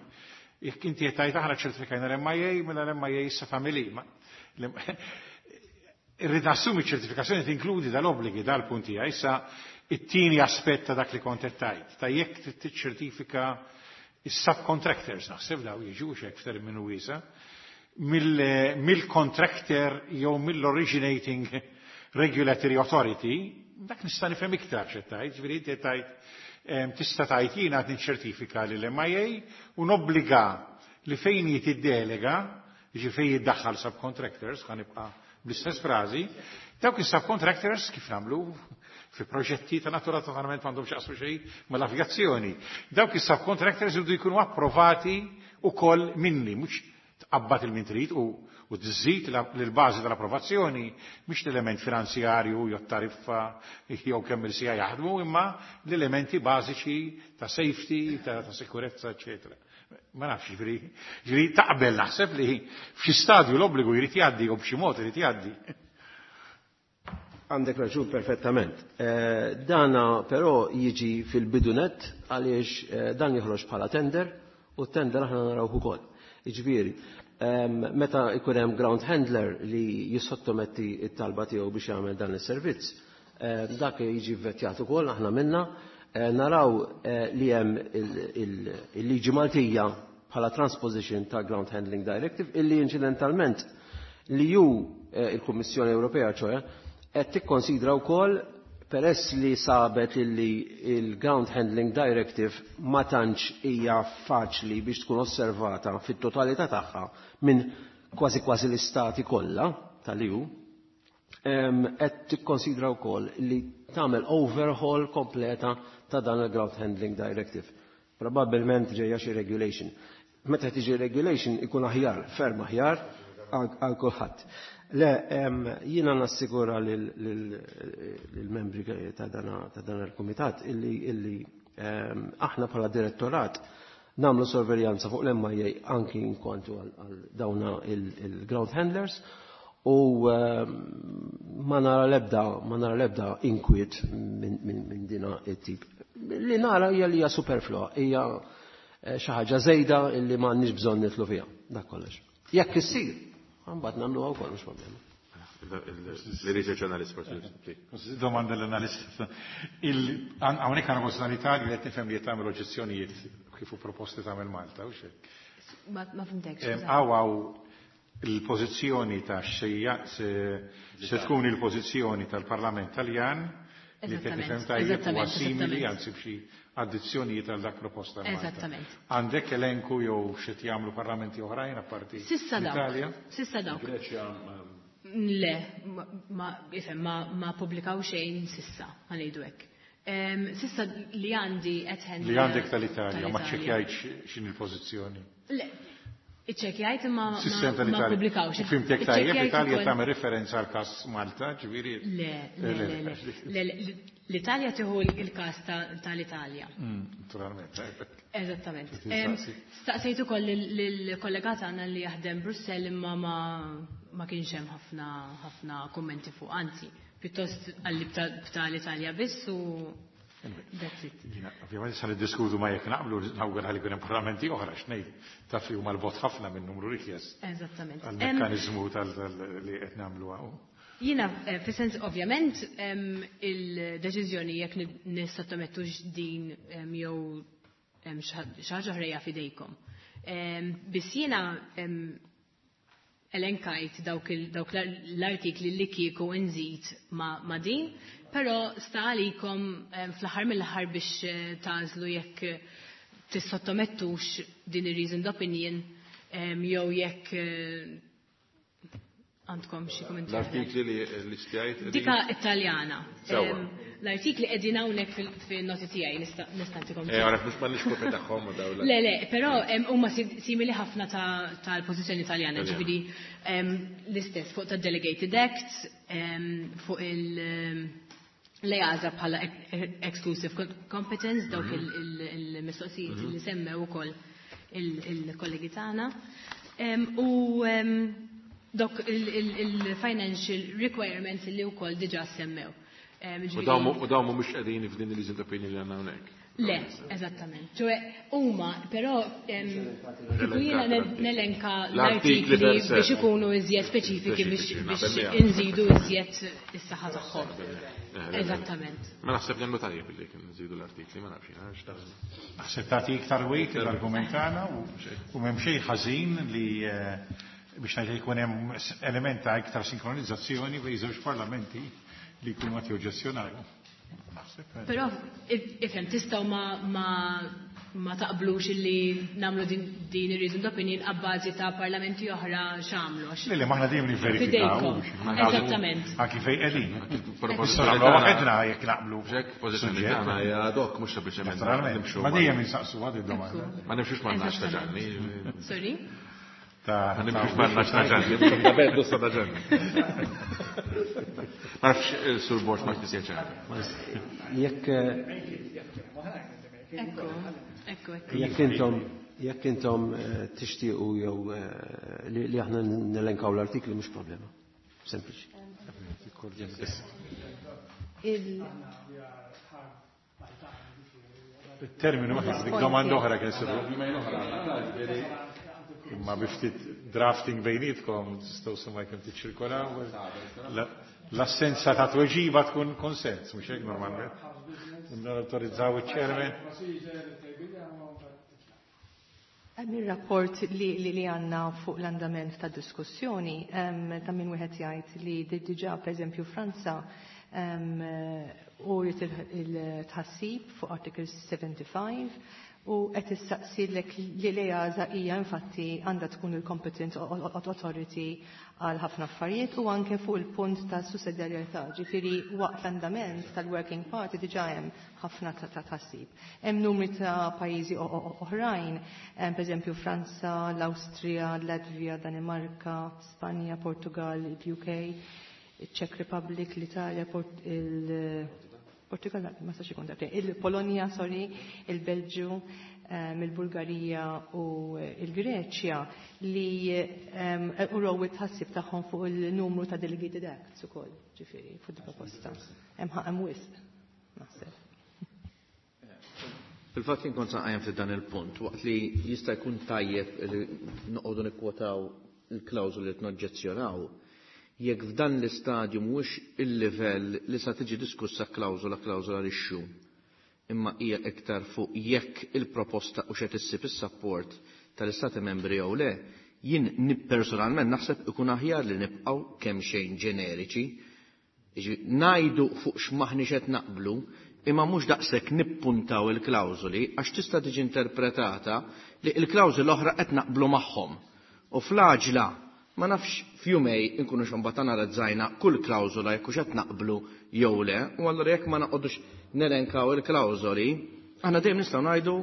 Speaker 4: jekk inti qed tgħid aħna ċertifikajna l-MIA, mela l-MIA issa family. Irrid nassumi ċertifikazzjoni tinkludi dal-obbligi dal-punti. Issa it-tieni aspett ta' dak li kont qed tgħid, ta' jekk trid tiċċertifika is-subcontractors, naħseb daw jiġu hekk f'terminu wiesa', mill-contractor jew mill-originating regulatory authority, dak nista' nifhem iktar x'qed tgħid, ġifieri inti qed tgħid tista' tgħid jiena qed niċċertifika lill-MIA u nobbliga li fejn jitiddelega, jiġi fejn jiddaħħal subcontractors, ħa nibqa' bl-istess frażi, dawk is-subcontractors kif nagħmlu fi proġetti ta' natura totalment m'għandhom x'jaqsmu xejn mal-avjazzjoni. Dawk is-subcontractors jridu jkunu approvati ukoll minni, mhux tqabbad il-min trid u tżid l-bażi tal-approvazzjoni mhix l-element finanzjarju jew tariffa jew kemm il-sija jaħdmu, imma l-elementi bażiċi ta' safety, ta' sikurezza, eċetera. Ma nafx, ġifieri taqbel naħseb li f'xi stadju l-obbligu jrid jgħaddi u b'xi mod irid jgħaddi.
Speaker 6: Għandek raġun perfettament. Dana però jiġi fil-bidunet għaliex dan joħroġ bħala tender u tender aħna naraw ukoll. Jiġifieri, meta jkun hemm ground handler li jissottometti t-talba tiegħu biex jagħmel dan is-servizz, dak jiġi vvettjat ukoll aħna minna, naraw li hemm il-liġi Maltija bħala transposition ta' Ground Handling Directive illi incidentalment li ju il-Kummissjoni Ewropea, ċoħe, qed tikkonsidra wkoll peress li sabet illi il-Ground Handling Directive ma tantx hija faċli biex tkun osservata fit-totalità tagħha minn kważi kważi l-istati kollha tal-EU, qed tikkonsidra wkoll li tagħmel overhaul kompleta ta' dan il-Ground Handling Directive. Probabbilment ġejja xi regulation. Meta tiġi regulation ikun aħjar, ferm aħjar għal kulħadd. Le, jiena nassigura lill-membri ta' dan il-kumitat illi aħna bħala direttorat nagħmlu sorveljanza fuq l-MIA anki inkwantu għal dawna il-ground handlers u ma nara lebda inkwiet minn dina it-tip. Li nara hija li hija superflua, hija xi ħaġa żejda illi m'għandniex bżonn nidħlu fiha. Dak kollox. Jekk issir, mbagħad nagħmluha wkoll, mhux problema.
Speaker 1: Il-research analyst forsi.
Speaker 4: Domanda l-analist. Hawnhekk għandna posta l-Italja li qed nifhem li qed tagħmel oġġezzjonijiet kif u proposti tagħmel Malta, u xejn.
Speaker 8: Ma fhimtekx.
Speaker 4: Hawn il-pożizzjoni ta' xejja se tkun il-pożizzjoni tal-Parlament Taljan li qed nifhem tajjeb huwa simili, anzi b'xi addizzjonijiet għal dak proposta Malta.
Speaker 8: Eżattament.
Speaker 4: Għandek elenku jew xi jagħmlu parlamenti oħrajn apparti
Speaker 8: S'issa dawk.
Speaker 4: l-Italja?
Speaker 8: S'issa dawk.
Speaker 1: Greċja?
Speaker 8: Le, ifhem, ma publikaw xejn s'issa, ħa ngħidu hekk. S'issa li għandi at hand.
Speaker 4: Li għandek tal-Italja, ma
Speaker 8: tal-Italja.
Speaker 4: ċekjajtx x'in il-pożizzjoni.
Speaker 8: Le. Iċċekjajt imma
Speaker 4: Sistem
Speaker 8: ma
Speaker 4: tal-Italja.
Speaker 8: pubblikawx.
Speaker 4: Fimtek tajjeb,
Speaker 8: Iċċekkjajt
Speaker 4: l-Italja
Speaker 8: ukoll-
Speaker 4: tagħmel referenza għal każ Malta, ġifieri.
Speaker 8: Le, le, le, le, le, le, l-Italja tieħu il-każ tal-Italja.
Speaker 4: Naturalment.
Speaker 8: Eżattament.
Speaker 4: Trid tistaqsi.
Speaker 8: Staqsejt ukoll lill-kollega tagħna li jaħdem Brussell imma ma kienx hemm ħafna ħafna kummenti fuq, anzi, pjuttost għalli bta l-Italja biss u that's it.
Speaker 4: Jiena, ovvjament sa niddiskutu ma jekk naqblu nawgura li jkun hemm parlamenti oħra x'ngħid taf li huma l-bot ħafna minn numru rikjest
Speaker 8: Eżattament.
Speaker 4: għall-mekkaniżmu li qed nagħmlu hawn.
Speaker 8: Jiena, fis-sens ovvjament, il-deċiżjoni jekk nissottomettux din jew xi ħaġa oħra hija f'idejkom. Biss jiena elenkajt dawk l-artikli li kieku nżid ma' din, però sta għalikom fl-aħħar mill-aħħar biex tagħżlu jekk tissottomettux din ir-reasoned opinion jew jekk għandkom xi kummenti.
Speaker 1: L-artikli li l-istjajt.
Speaker 8: Dika Italjana.
Speaker 1: Sewwa.
Speaker 8: L-artikli qegħdin hawnhekk fin-noti tiegħi nista' nagħtikom.
Speaker 1: Għaraf mhux m'għandniex kopja tagħhom u dawn.
Speaker 8: Le, le, però huma simili ħafna tal-pożizzjoni Italjana,
Speaker 1: Italjana.
Speaker 8: ġifieri l-istess fuq ta' Delegated Acts, fuq l-EASA bħala exclusive competence, dawk il-mistoqsijiet li semmew ukoll il-kollegi tagħna. U dok il-financial requirements li wkoll diġà semmew.
Speaker 1: U dawn mhumiex qegħdin f'din il-reasoned opinion li għandna hawnhekk.
Speaker 8: Le, eżattament. Ċoe, huma, però kieku jiena nelenka
Speaker 1: L-artikli
Speaker 8: l-artikli
Speaker 1: per se.
Speaker 8: biex ikunu iżjed speċifiki
Speaker 1: Speċifiċi,
Speaker 8: biex
Speaker 1: naqbel miegħek.
Speaker 8: inżidu iżjed is-saħħa tagħhom. Eżattament.
Speaker 1: Ma naħseb li għandu tajjeb li kien nżidu l-artikli, ma nafx jiena, x'taħseb.
Speaker 4: Naħseb tagħti iktar weight l-argument tagħna u m'hemm xejn ħażin li biex ngħid jkun hemm element ta' iktar sinkronizzazzjoni bejn żewġ parlamenti li jkunu qed joġġezzjonaw. Naħseb.
Speaker 8: Però ifhem tistgħu ma taqblux illi nagħmlu din ir-reasoned opinion abbażi ta' parlamenti oħra x'għamlu, għax
Speaker 4: Le, le, ma aħna dejjem nivverifikaw.
Speaker 8: Fidejkom. Eżattament.
Speaker 4: Anki fejn qegħdin.
Speaker 1: Propożizzjoni
Speaker 4: Nistgħu nagħmlu
Speaker 1: tagħna-
Speaker 4: waħedna jekk naqblu.
Speaker 1: Ġek, pożizzjoni
Speaker 4: Suġġett.
Speaker 1: tagħna hija ad hoc, mhux sempliċement
Speaker 4: Naturalment.
Speaker 1: nimxu
Speaker 4: Ma
Speaker 1: ma-
Speaker 4: dejjem insaqsu għad id-domanda.
Speaker 8: Ekku.
Speaker 1: Ma nimxux ma' nax ta' Ġanni.
Speaker 8: Sorry?
Speaker 4: Ta'
Speaker 1: Ma nimxux
Speaker 4: ta'
Speaker 1: ma' nax ta' Ġanni. Ta' beddu sa' ta' Ġanni. Ma nafx il-Sur Borg ma tisja ċara.
Speaker 6: Jekk
Speaker 8: Ekku, ekku, ekku.
Speaker 6: Jekk intom tixtiequ jew li aħna nelenkaw l-artikli mhux problema. Sempliċi.
Speaker 4: Il-terminu ma dik domanda oħra kien isiru. Imma bi ftit drafting bejnietkom tistgħu sema jekk tiċċirkolaw. L-assenza ta' tweġiba tkun konsens, mhux hekk normalment. Nawtorizzaw iċ-chairman.
Speaker 5: Hemm ir-rapport li għandna fuq l-andament ta' diskussjoni, ta' min wieħed jgħid li diġà pereżempju Franza uriet il-tħassib fuq Article 75 u qed issaqsilek li l-EASA hija infatti għandha tkun il-competent authority għal ħafna affarijiet u anke fuq il-punt ta' sussidjarjetà, ġifieri waqt l-andament tal-working party diġà hemm ħafna ta' tħassib. Hemm numri ta' pajjiżi oħrajn, pereżempju Franza, l-Awstrija, l-Latvija, Danimarka, Spanja, Portugal, il-UK, il-Czech Republic, l-Italja, il Portugal, ma sax ikun darbtejn, il-Polonja, sorry, il-Belġju, il-Bulgarija u il-Greċja li uraw it-tħassib tagħhom fuq il-numru ta' delegated acts ukoll, ġifieri, fuq il-proposta. Hemm ħaqem wisq, naħseb.
Speaker 2: Fil-fatt jien kont sanqajjem ftit dan il-punt, waqt li jista' jkun tajjeb li noqogħdu nikwotaw il-klawżoli li tnoġġezzjonaw, jekk f'dan l-istadju mhuwiex il-livell li sa tiġi diskussa klawżola klawżola lixxu, imma hija iktar fuq jekk il-proposta u xed issib is-support tal-Istati Membri jew le, jien personalment naħseb ikun aħjar li nibqgħu kemm xejn ġeneriċi, jiġifieri ngħidu fuq x'maħniex qed naqblu, imma mhux daqshekk nippuntaw il-klawżoli għax tista' tiġi interpretata li l-klawżoli l-oħra qed naqblu magħhom. U fl-għaġla ma nafx f'jumej inkunu x'mbagħad analizzajna kull klawżola jekk hux qed naqblu jew le, u allura jekk ma noqogħdux nelenkaw il-klawżoli, aħna dejjem nistgħu ngħidu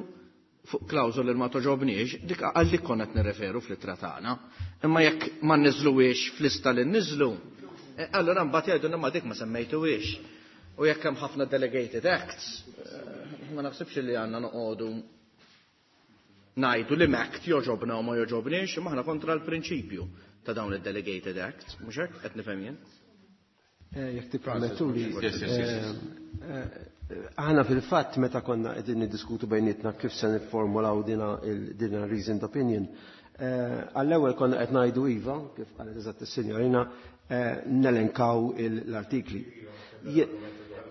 Speaker 2: fuq klawżol li ma toġobniex, dik għal dik konna qed nirreferu fl-ittra tagħna. Imma jekk ma nniżluwiex fl-lista li nniżlu, allura mbagħad jgħidulna ma dik ma semmejtuwiex. U jekk hemm ħafna delegated acts, ma naħsibx li għandna noqogħdu ngħidu li act joġobna u ma joġobniex, imma aħna kontra l-prinċipju ta' dawn id-delegated acts, mhux hekk qed nifhem jien?
Speaker 6: Jekk tippermettuli,
Speaker 1: Yes.
Speaker 6: Aħna fil-fatt meta konna qegħdin niddiskutu bejnietna kif se nifformulaw dina reasoned opinion, għall-ewwel konna qed ngħidu iva, kif qalet eżatt is-sinjorina, nelenkaw l-artikli.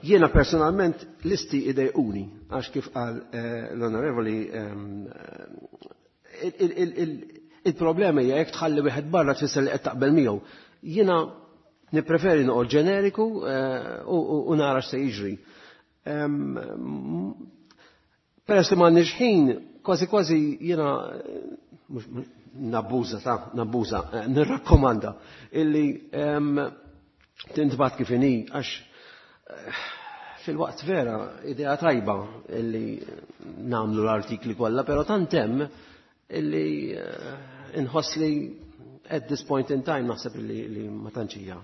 Speaker 6: Jiena personalment listi idejquni, għax kif qal l-onorevoli, il-problema hija jekk tħalli wieħed barra tfisser li qed taqbel miegħu. Jiena nippreferi noqgħod ġeneriku u nara x'se jiġri. Peress li m'għandniex ħin, kważi kważi jiena mhux nabbuża ta' nabbuża, nirrakkomanda illi tintbagħat kif inhi, għax fil-waqt vera idea tajba illi nagħmlu l-artikli kollha, però tant hemm illi inħoss li at this point in time naħseb li ma tantx hija.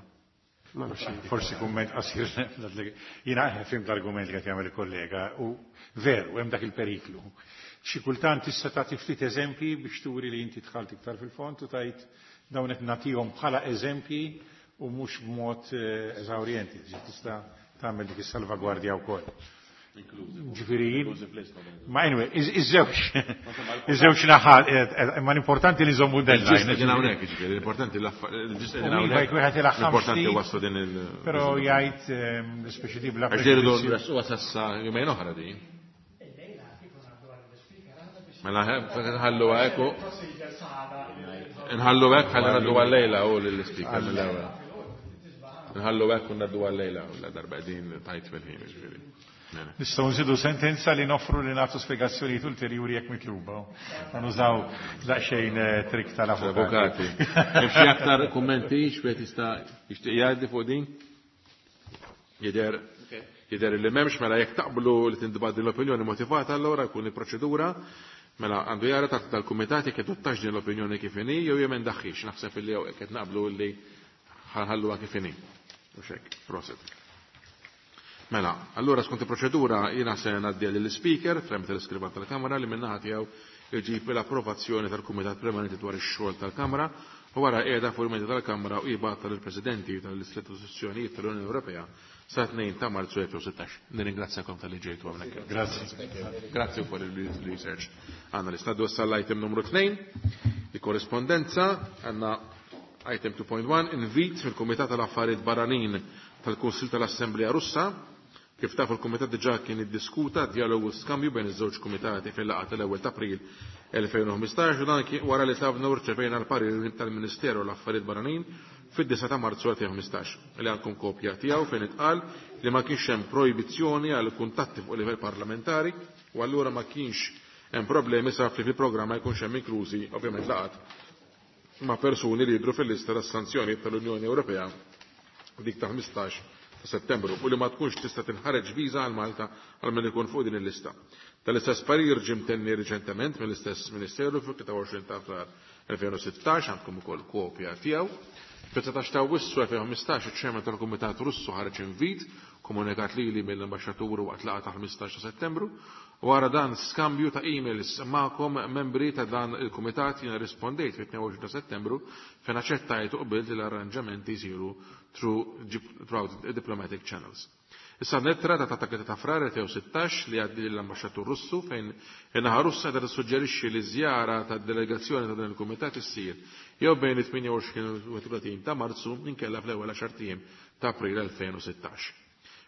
Speaker 6: Ma nafx.
Speaker 4: Forsi kumment qasir, jiena fhimt l-argument li qed jagħmel il-kollega u veru hemm dak il-periklu. Xi kultant tista' tagħti ftit eżempji biex turi li inti dħalt iktar fil-fond u tajt dawn qed nagħtihom bħala eżempji u mhux b'mod eżawrjenti, tista' tagħmel dik is-salvagwardja wkoll. Ġifieri, ma anyway, iż-żewġ naħat, imma l-importanti li nżommu deadline.
Speaker 1: Il-ġist qegħdin hawnhekk, ġifieri, l-importanti il-ġist qegħdin
Speaker 4: U iva,
Speaker 1: hawnhekk.
Speaker 4: jekk wieħed ilaħħam
Speaker 1: L-importanti
Speaker 4: ftit,
Speaker 1: waslu din il-
Speaker 4: Però jgħid speċi di bla
Speaker 1: Għax dejru
Speaker 4: preġudizzju.
Speaker 1: nresquha sassa jumejn oħra din. Mela, nħallu hekk u nħallu hekk ħalli ngħaddu għal-lejla u lill-speaker mill-ewwel. Nħallu hekk u ngħaddu għal-lejla u la darba qegħdin tajt fil-ħin, ġifieri. Mela.
Speaker 4: Nistgħu nżidu sentenza li noffru li nagħtu spjegazzjonijiet ulterjuri jekk mitluba. Ma nużaw daqsxejn trik tal-avukati.
Speaker 1: Avukati. Hemm xi aktar kummenti x'wieħed jista' jixtieq jgħaddi fuq din? Jidher li m'hemmx, mela jekk taqblu li tintbagħat din l-opinjoni motivata, allura jkun il-proċedura. Mela għandu jara tal-kumitat jekk adottax din l-opinjoni kif inhi jew jemendaħħiex. Naħseb illi jew qed naqblu li ħanħalluha kif inhi. U xek, proset. Mela, allura skont il-proċedura jiena se ngħaddi lill-speaker tramite l-iskrivan tal-Kamra li min-naħa tiegħu jġib l-approvazzjoni tal-Kumitat Permanenti dwar ix-xogħol tal-Kamra u wara qiegħda fuq il-mejda tal-Kamra u jibgħatha lill-Presidenti tal-istituzzjonijiet tal-Unjoni Ewropea sa 2 ta' Marzu 2016. Nirringrazzjakom talli ġejtu hawnhekk.
Speaker 4: Grazzi.
Speaker 1: Grazzi wkoll il-research analyst. Ngħaddu issa l-item numru 2, il-korrespondenza, għandna item 2.1, invit mill-Kumitat tal-Affarijiet Barranin tal-Kunsill tal-Assemblea Russa. Kif tafu l-Kumitat diġà kien iddiskuta dialogu skambju bejn iż-żewġ kumitati fil-laqgħa tal-ewwel ta' April 2015 u dan kien wara li tlabna u rċevejna l-parir tal-Ministeru l-Affarijiet Barranin fid-9 ta' Marzu 2015 li għandkom kopja tiegħu fejn itqal li ma kienx hemm projbizzjoni għal kuntatti fuq livell parlamentari u allura ma kienx hemm problemi saf li fil-programm ma jkunx hemm inklużi ovvjament laqgħat ma' persuni li jidhru fil-lista tas-sanzjonijiet tal-Unjoni Ewropea dik ta' 15 ta' Settembru u li ma tkunx tista' tinħareġ viża għal Malta għal min ikun fuq din il-lista. Tal-istess parir ġie mtenni riċentement mill-istess Ministeru fil-23 ta' Frar 2016, għandkom ukoll kopja tiegħu. Fil-19 ta' Awwissu 2015 iċ-Chairman tal-Kumitat Russu ħareġ invit komunikat lili mill-ambaxxatur waqt laqgħa ta' 15 ta' Settembru. Wara dan skambju ta' emails magħkom membri ta' dan il-kumitat jiena rispondejt fit-22 ta' Settembru fejn aċċettajt u qbilt li l-arranġamenti jsiru throughout diplomatic channels. Issa nettra ta' ta' ta' Frar 2016 li għaddi l-ambaxxatur Russu fejn in-naħa Russa qed tissuġġerixxi li żjara ta' delegazzjoni ta' dan il-kumitat issir jew bejn it-28 u 30 ta' Marzu inkella fl-ewwel għaxar ijiem ta' April 2016.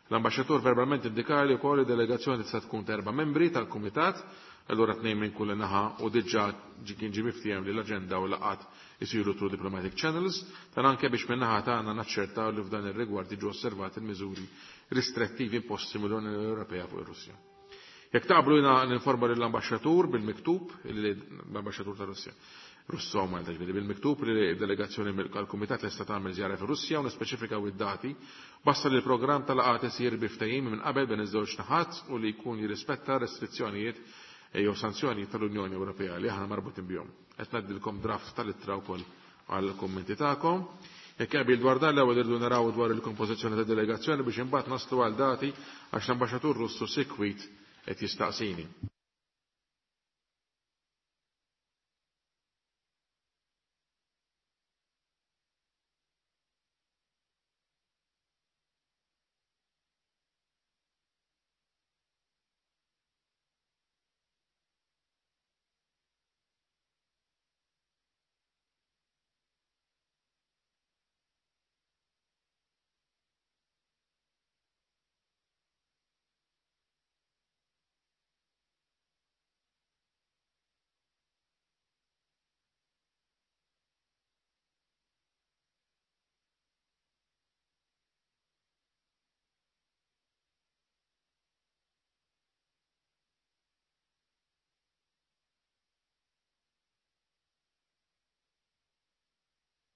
Speaker 1: L-ambaxxatur verbalment indikali wkoll li delegazzjoni tista' tkun ta' 4 membri tal-kumitat, allura 2 minn kull naħa u diġà kien ġie miftiehem li l-aġenda u laqgħat isiru through diplomatic channels, dan anke biex minn naħa tagħna naċċertaw li f'dan ir-rigward jiġu osservati l-miżuri ristrettivi imposti mill-Unjoni Ewropea fuq ir-Russja. Jekk taqblu jiena ninforma lill-ambaxxatur bil-miktub, l-ambaxxatur ta' Russja, Russo Malta ġifieri bil-miktub li delegazzjoni mill-Kumitat lesta tagħmel żjara fir-Russja u nispeċifikaw id-dati, basta li l-programm tal-laqgħat isir bi ftehim minn qabel bejn iż-żewġ naħat u li jkun jirrispetta restrizzjonijiet jew sanzjoni tal-Unjoni Ewropea li aħna marbutin bihom. Qed ngħaddilkom draft tal-ittra wkoll għall-kummenti tagħkom. Jekk qbil dwar dan l-ewwel irridu naraw dwar il-kompożizzjoni ta' delegazzjoni biex imbagħad naslu għal dati għax l-ambaxxatur Russu sikwit qed jistaqsini.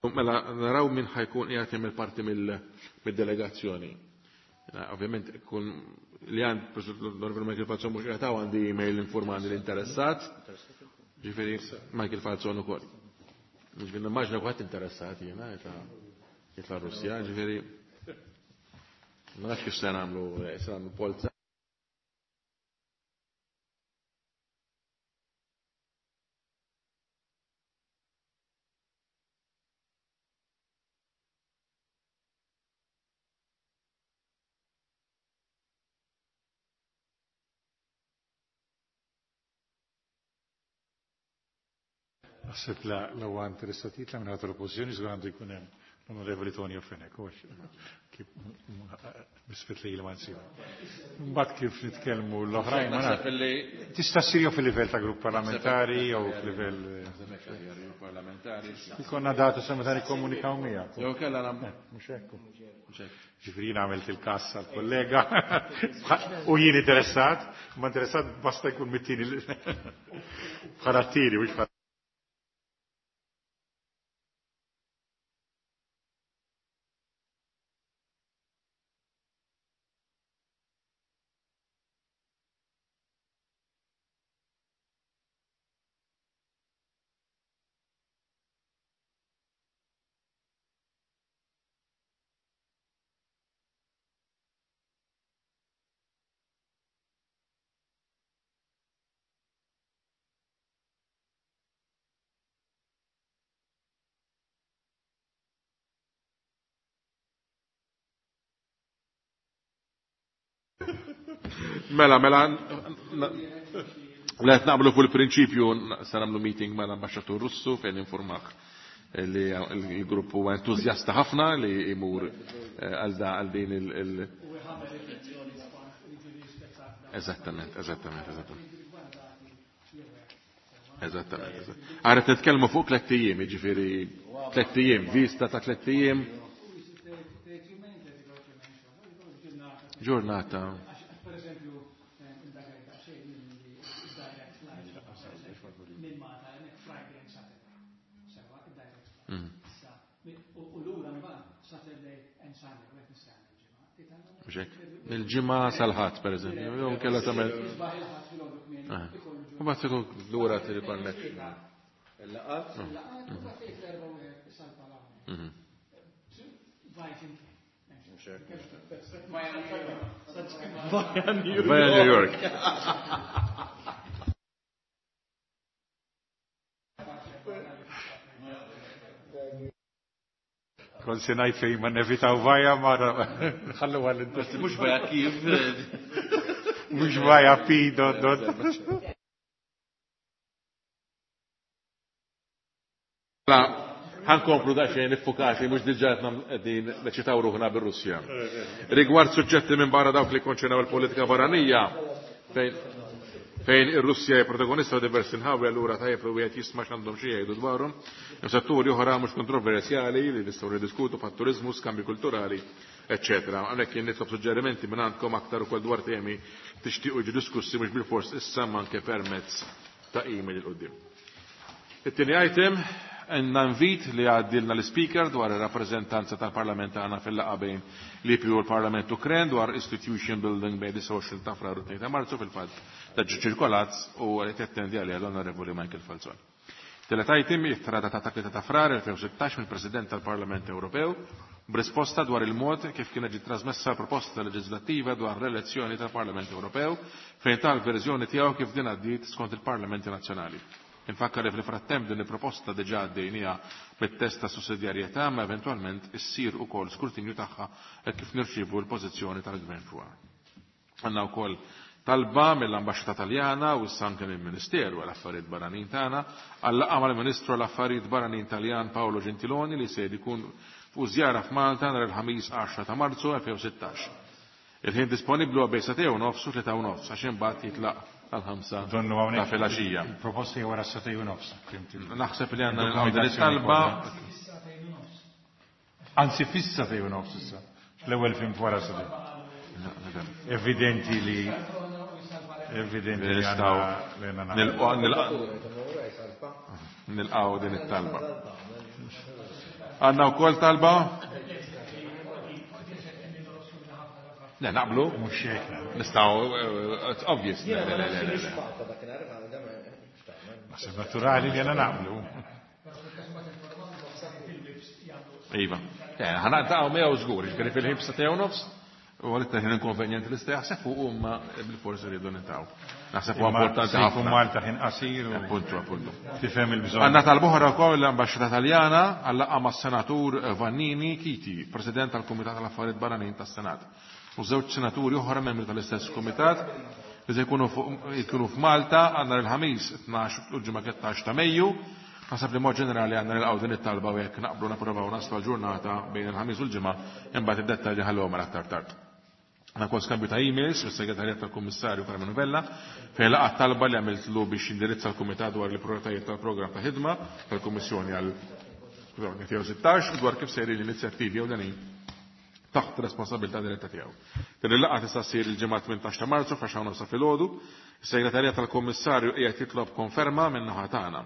Speaker 1: Mela naraw min ħajkun qiegħed jagħmel parti mid-delegazzjoni. Ovvjament kun li għand l-Onorevoli Michael Falzon mhux qiegħed għandi email informani l-interessat. Ġifieri Michael Falzon ukoll. Ġifieri nimmaġina kulħadd interessat jiena jitla' Russja, ġifieri ma nafx kif se nagħmlu se nagħmlu polza.
Speaker 4: Naħseb la huwa interessat jitla minn ħadd l-oppożizzjoni żgur għandu jkun hemm l-Onorevoli Tonio Fenech, misfit li ma nsibu. Mbagħad kif nitkellmu l-oħrajn ma nafx. Tista' ssir jew fil-livell ta' grupp parlamentari jew fil-livell
Speaker 1: parlamentari.
Speaker 4: Ikonna data sa meta nikkomunikaw miegħek.
Speaker 1: Jew kellha nagħmlu.
Speaker 4: Mhux hekk. Ġifieri jien għamilt il-każ għall-kollega u jien interessat, ma interessat basta jkun mit-tieni bħala t-tieni mhux bħala
Speaker 1: Mela, mela, la qed naqblu fuq il-prinċipju se nagħmlu meeting mal-ambaxxatur Russu fejn informah li l-grupp huwa entużjasta ħafna li jmur għal għal din il- Eżattament, eżattament, eżattament. Eżattament. Għara nitkellmu fuq tlett ijiem, jiġifieri tlett ijiem, vista ta' tlett ijiem. Ġurnata. Mil-ġimgħa sal-ħadd pereżempju, jew kellha tagħmel. U mbagħad ikun lura connection.
Speaker 2: Il-laqat?
Speaker 1: Via New York.
Speaker 4: Kont se ngħid fejn ma nevitaw vaja ma nħallu għal
Speaker 2: Mhux vaja kif.
Speaker 4: Mhux vaja P dot dot.
Speaker 1: Mela, ħankomplu daqsxejn iffukati mhux diġà qegħdin neċitaw ruħna bir-Russja. Rigward suġġetti minn barra dawk li konċernaw il-politika barranija, fejn ir-Russja hija protagonista diversi nħawi allura tajjeb li wieħed jisma' x'għandhom xi jgħidu dwarhom. Hemm setturi oħra mhux kontroversjali li nistgħu niddiskutu bħat-turiżmu, skambji kulturali, eċċetera. Hawnhekk jien nitlob suġġerimenti minn għandkom aktar ukoll dwar temi tixtiequ jiġu diskussi mhux bilfors issa ma anke permezz ta' email il quddiem. It-tieni item Għandna invit li għaddilna l-speaker dwar ir-rappreżentanza tal-Parlament tagħna fil-laqgħa bejn l-IPU u l-Parlament Ukren dwar Institution Building bejn 29 ta' Frar u 2 ta' Marzu fil-fatt ta' ċirkolat u li tettendi għalija l-Onorevoli Michael Falzon. Telet item ittra datata 3 ta' Frar 2016 mill-President tal-Parlament Ewropew b'risposta dwar il-mod kif kienet ġiet trasmessa proposta leġislattiva dwar l-elezzjoni tal-Parlament Ewropew fejn tal-verżjoni tiegħu kif din għaddiet skont il-Parlamenti Nazzjonali. Infakkar li fil-frattemp din il-proposta diġà għaddejnija bit-test ta' sussidjarjetà ma eventwalment issir ukoll skrutinju tagħha hekk kif nirċievu l-pożizzjoni tal-Gvern fuqha. Għandna wkoll talba mill-Ambaxxata Taljana u issa anke mill-Ministeru għal Affarijiet Barranin tagħna għal laqgħa mal-Ministru għal Affarijiet Barranin Taljan Paolo Gentiloni li se jkun fuq żjara f'Malta nhar il-ħamis 10 ta' Marzu 2016. Il-ħin disponibbli huwa bejn sagħtejn u nofs u 3:30 għax imbagħad jitlaq tal-5 ta' filgħaxija.
Speaker 4: Proposti wara sagħtejn u nofs.
Speaker 1: Naħseb li għandna nilqgħu din it-talba.
Speaker 4: Anzi fis-sagħtejn u nofs issa. L-ewwel film wara sagħtejn. Evidenti li evidenti li
Speaker 1: nistgħu nilqgħu din it-talba. Għandna wkoll talba? Le, naqblu?
Speaker 4: Mhux hekk.
Speaker 1: Nistgħu, it's obvious. Le, le, le, le, le.
Speaker 4: Naħseb naturali li għandna naqblu.
Speaker 1: Iva. Ħa niltaqgħu miegħu żgur, jiġifieri fil-ħin b'sagħtejn u nofs, u għal ħin inkonvenjenti li jaħseb fuq huma bil-forsi rridu niltaqgħu. Naħseb huwa importanti
Speaker 4: ħafna. Malta ħin qasir u
Speaker 1: Appuntu, appuntu.
Speaker 4: Tifhem il-bżonn.
Speaker 1: Għandna talba wkoll l-Ambaxxata Taljana għal laqgħa mas-Senatur Vannini Chiti, President tal-Kumitat tal-Affarijiet Barranin tas-Senat. U żewġ senaturi oħra membri tal-istess kumitat li se jkunu f'Malta għandna il-ħamis 12 u l-ġimgħa 13 ta' Mejju. Naħseb li mod ġenerali għandna nilqgħu din it-talba u jekk naqblu napprovaw naslu l-ġurnata bejn il-ħamis u l-ġimgħa, imbagħad id-dettalji ħallhom għal aktar tard. Għandna wkoll skambju ta' emails mis-segretarjat tal-Kummissarju Karmenu Vella fejn laqa talba li għamiltlu biex jindirizza l-Kumitat dwar il-prioritajiet tal-programm ta' ħidma tal-Kummissjoni għal 2016 u dwar kif sejrin l-inizjattivi ewlenin taħt responsabilità diretta tiegħu. Din il-laqgħa tista' ssir il-ġimgħa 18 ta' Marzu fl-10:30 filgħodu. Is-segretarjat tal-Kummissarju qiegħed jitlob konferma minn naħa tagħna.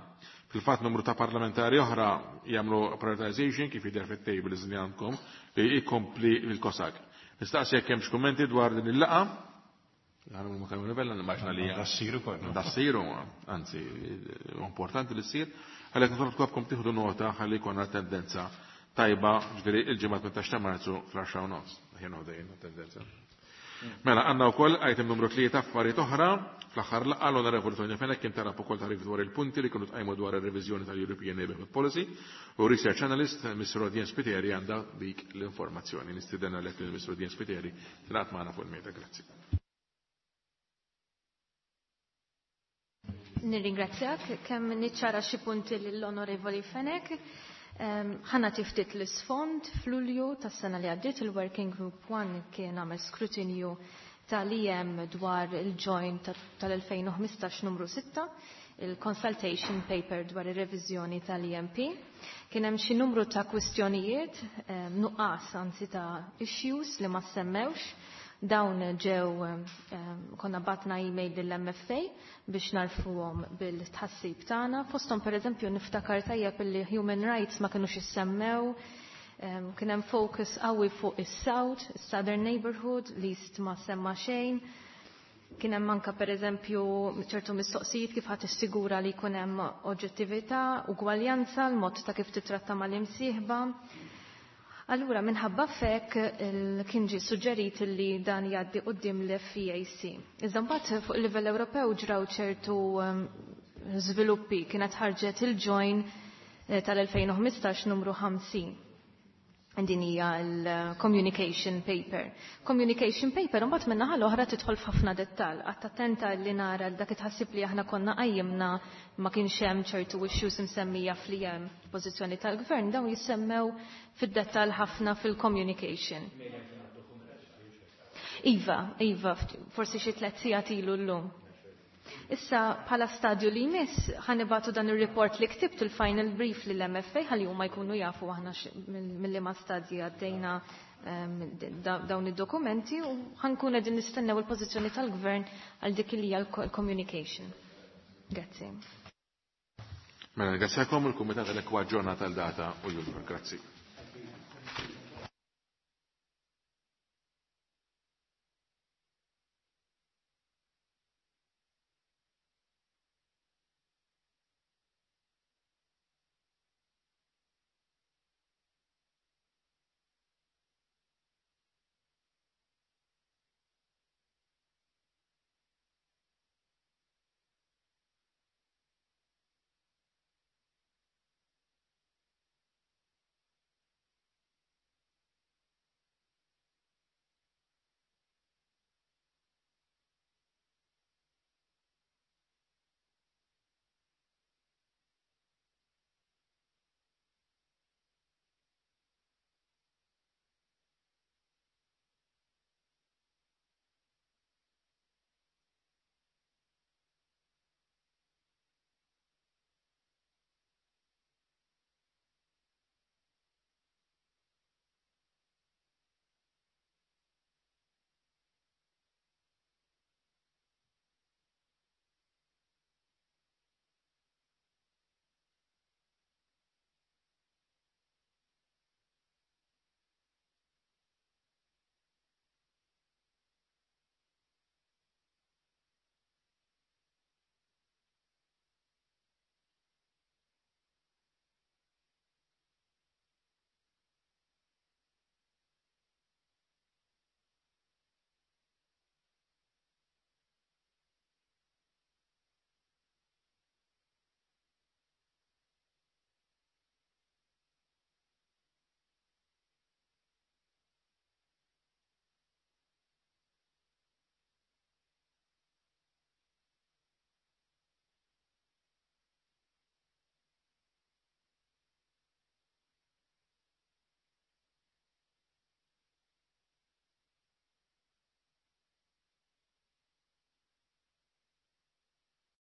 Speaker 1: Fil-fatt numru ta' parlamentari oħra jagħmlu prioritization kif jidher fit-tables li għandkom li jkompli il-COSAC. Nistaqsi jekk hemmx kummenti dwar din il-laqgħa. Għanu ma kellu nivella nimmaġna li
Speaker 4: Da ssir ukoll.
Speaker 1: Da ssiru, anzi, importanti li ssir. Għalhekk nitolbkom tieħdu nota ħalli jkollna tendenza tajba, ġifieri il-ġimgħa 18 ta' Marzu fl-10:30. Ħin dejjem tendenza. Mela, għandna wkoll item numru 3 affarijiet oħra. Fl-aħħar laqgħa l-Onorevoli Tonio Fenech kien talab ukoll tagħrif dwar il-punti li kienu tqajmu dwar ir-reviżjoni tal-European Neighbourhood Policy u Research Analyst Mr. Rodian Spiteri għandha dik l-informazzjoni. Nistieden għalhekk lil Mr. Rodian Spiteri tingħaqad magħna fuq il-mejda. Grazzi.
Speaker 9: Nirringrazzjak kemm niċċara xi punti lill-Onorevoli Fenech. Ħa nagħti ftit l-isfond. F'Lulju tas-sena li għaddiet il-Working Group 1 kien għamel skrutinju tal-IM dwar il-joint tal-2015 numru 6, il-consultation paper dwar ir-reviżjoni tal-EMP. Kien hemm xi numru ta' kwistjonijiet, nuqqas anzi ta' issues li ma semmewx. Dawn ġew, konna batna email lill-MFA biex narfuhom bil-tħassib tagħna. Fosthom, pereżempju, niftakar tajjeb illi human rights ma kinux issemmew, kien hemm focus qawwi fuq is-South, is-Southern Neighborhood, l-East ma semma xejn. Kien hemm anke, pereżempju, ċertu mistoqsijiet kif ħadd issigura li jkun hemm oġġettività, ugwaljanza, l-mod ta' kif titratta mal-imsieħba. Allura, minħabba fek, kien ġie suġġerit li dan jgħaddi quddiem l-FEAC. Iżda mbagħad fuq il-livell Ewropew ġraw ċertu żviluppi, kienet ħarġet il-join tal-2015 numru 50. Din hija l-communication paper. Communication paper imbagħad min-naħa l-oħra tidħol f'ħafna dettall. Qatt attenta li nara dak itħassib li aħna konna qajjimna ma kienx hemm ċertu issues msemmija fl-IM pożizzjoni tal-gvern, dawn jissemmew fid-dettall ħafna fil-communication. Iva, iva, forsi xi 3 sigħat ilu llum. Issa, bħala stadju li jmiss, ħa nibagħtu dan il-report li ktibt, il-final brief lill-MFA, ħalli huma jkunu jafu aħna mill-liema stadji għaddejna dawn id-dokumenti u ħa nkun qegħdin nistennew il-pożizzjoni tal-gvern għal dik li hija l-communication. Grazzi.
Speaker 1: Mela, ringrazzjakom il-Kumitat għal-ekwa ġurnata tal-data u jul. Grazzi.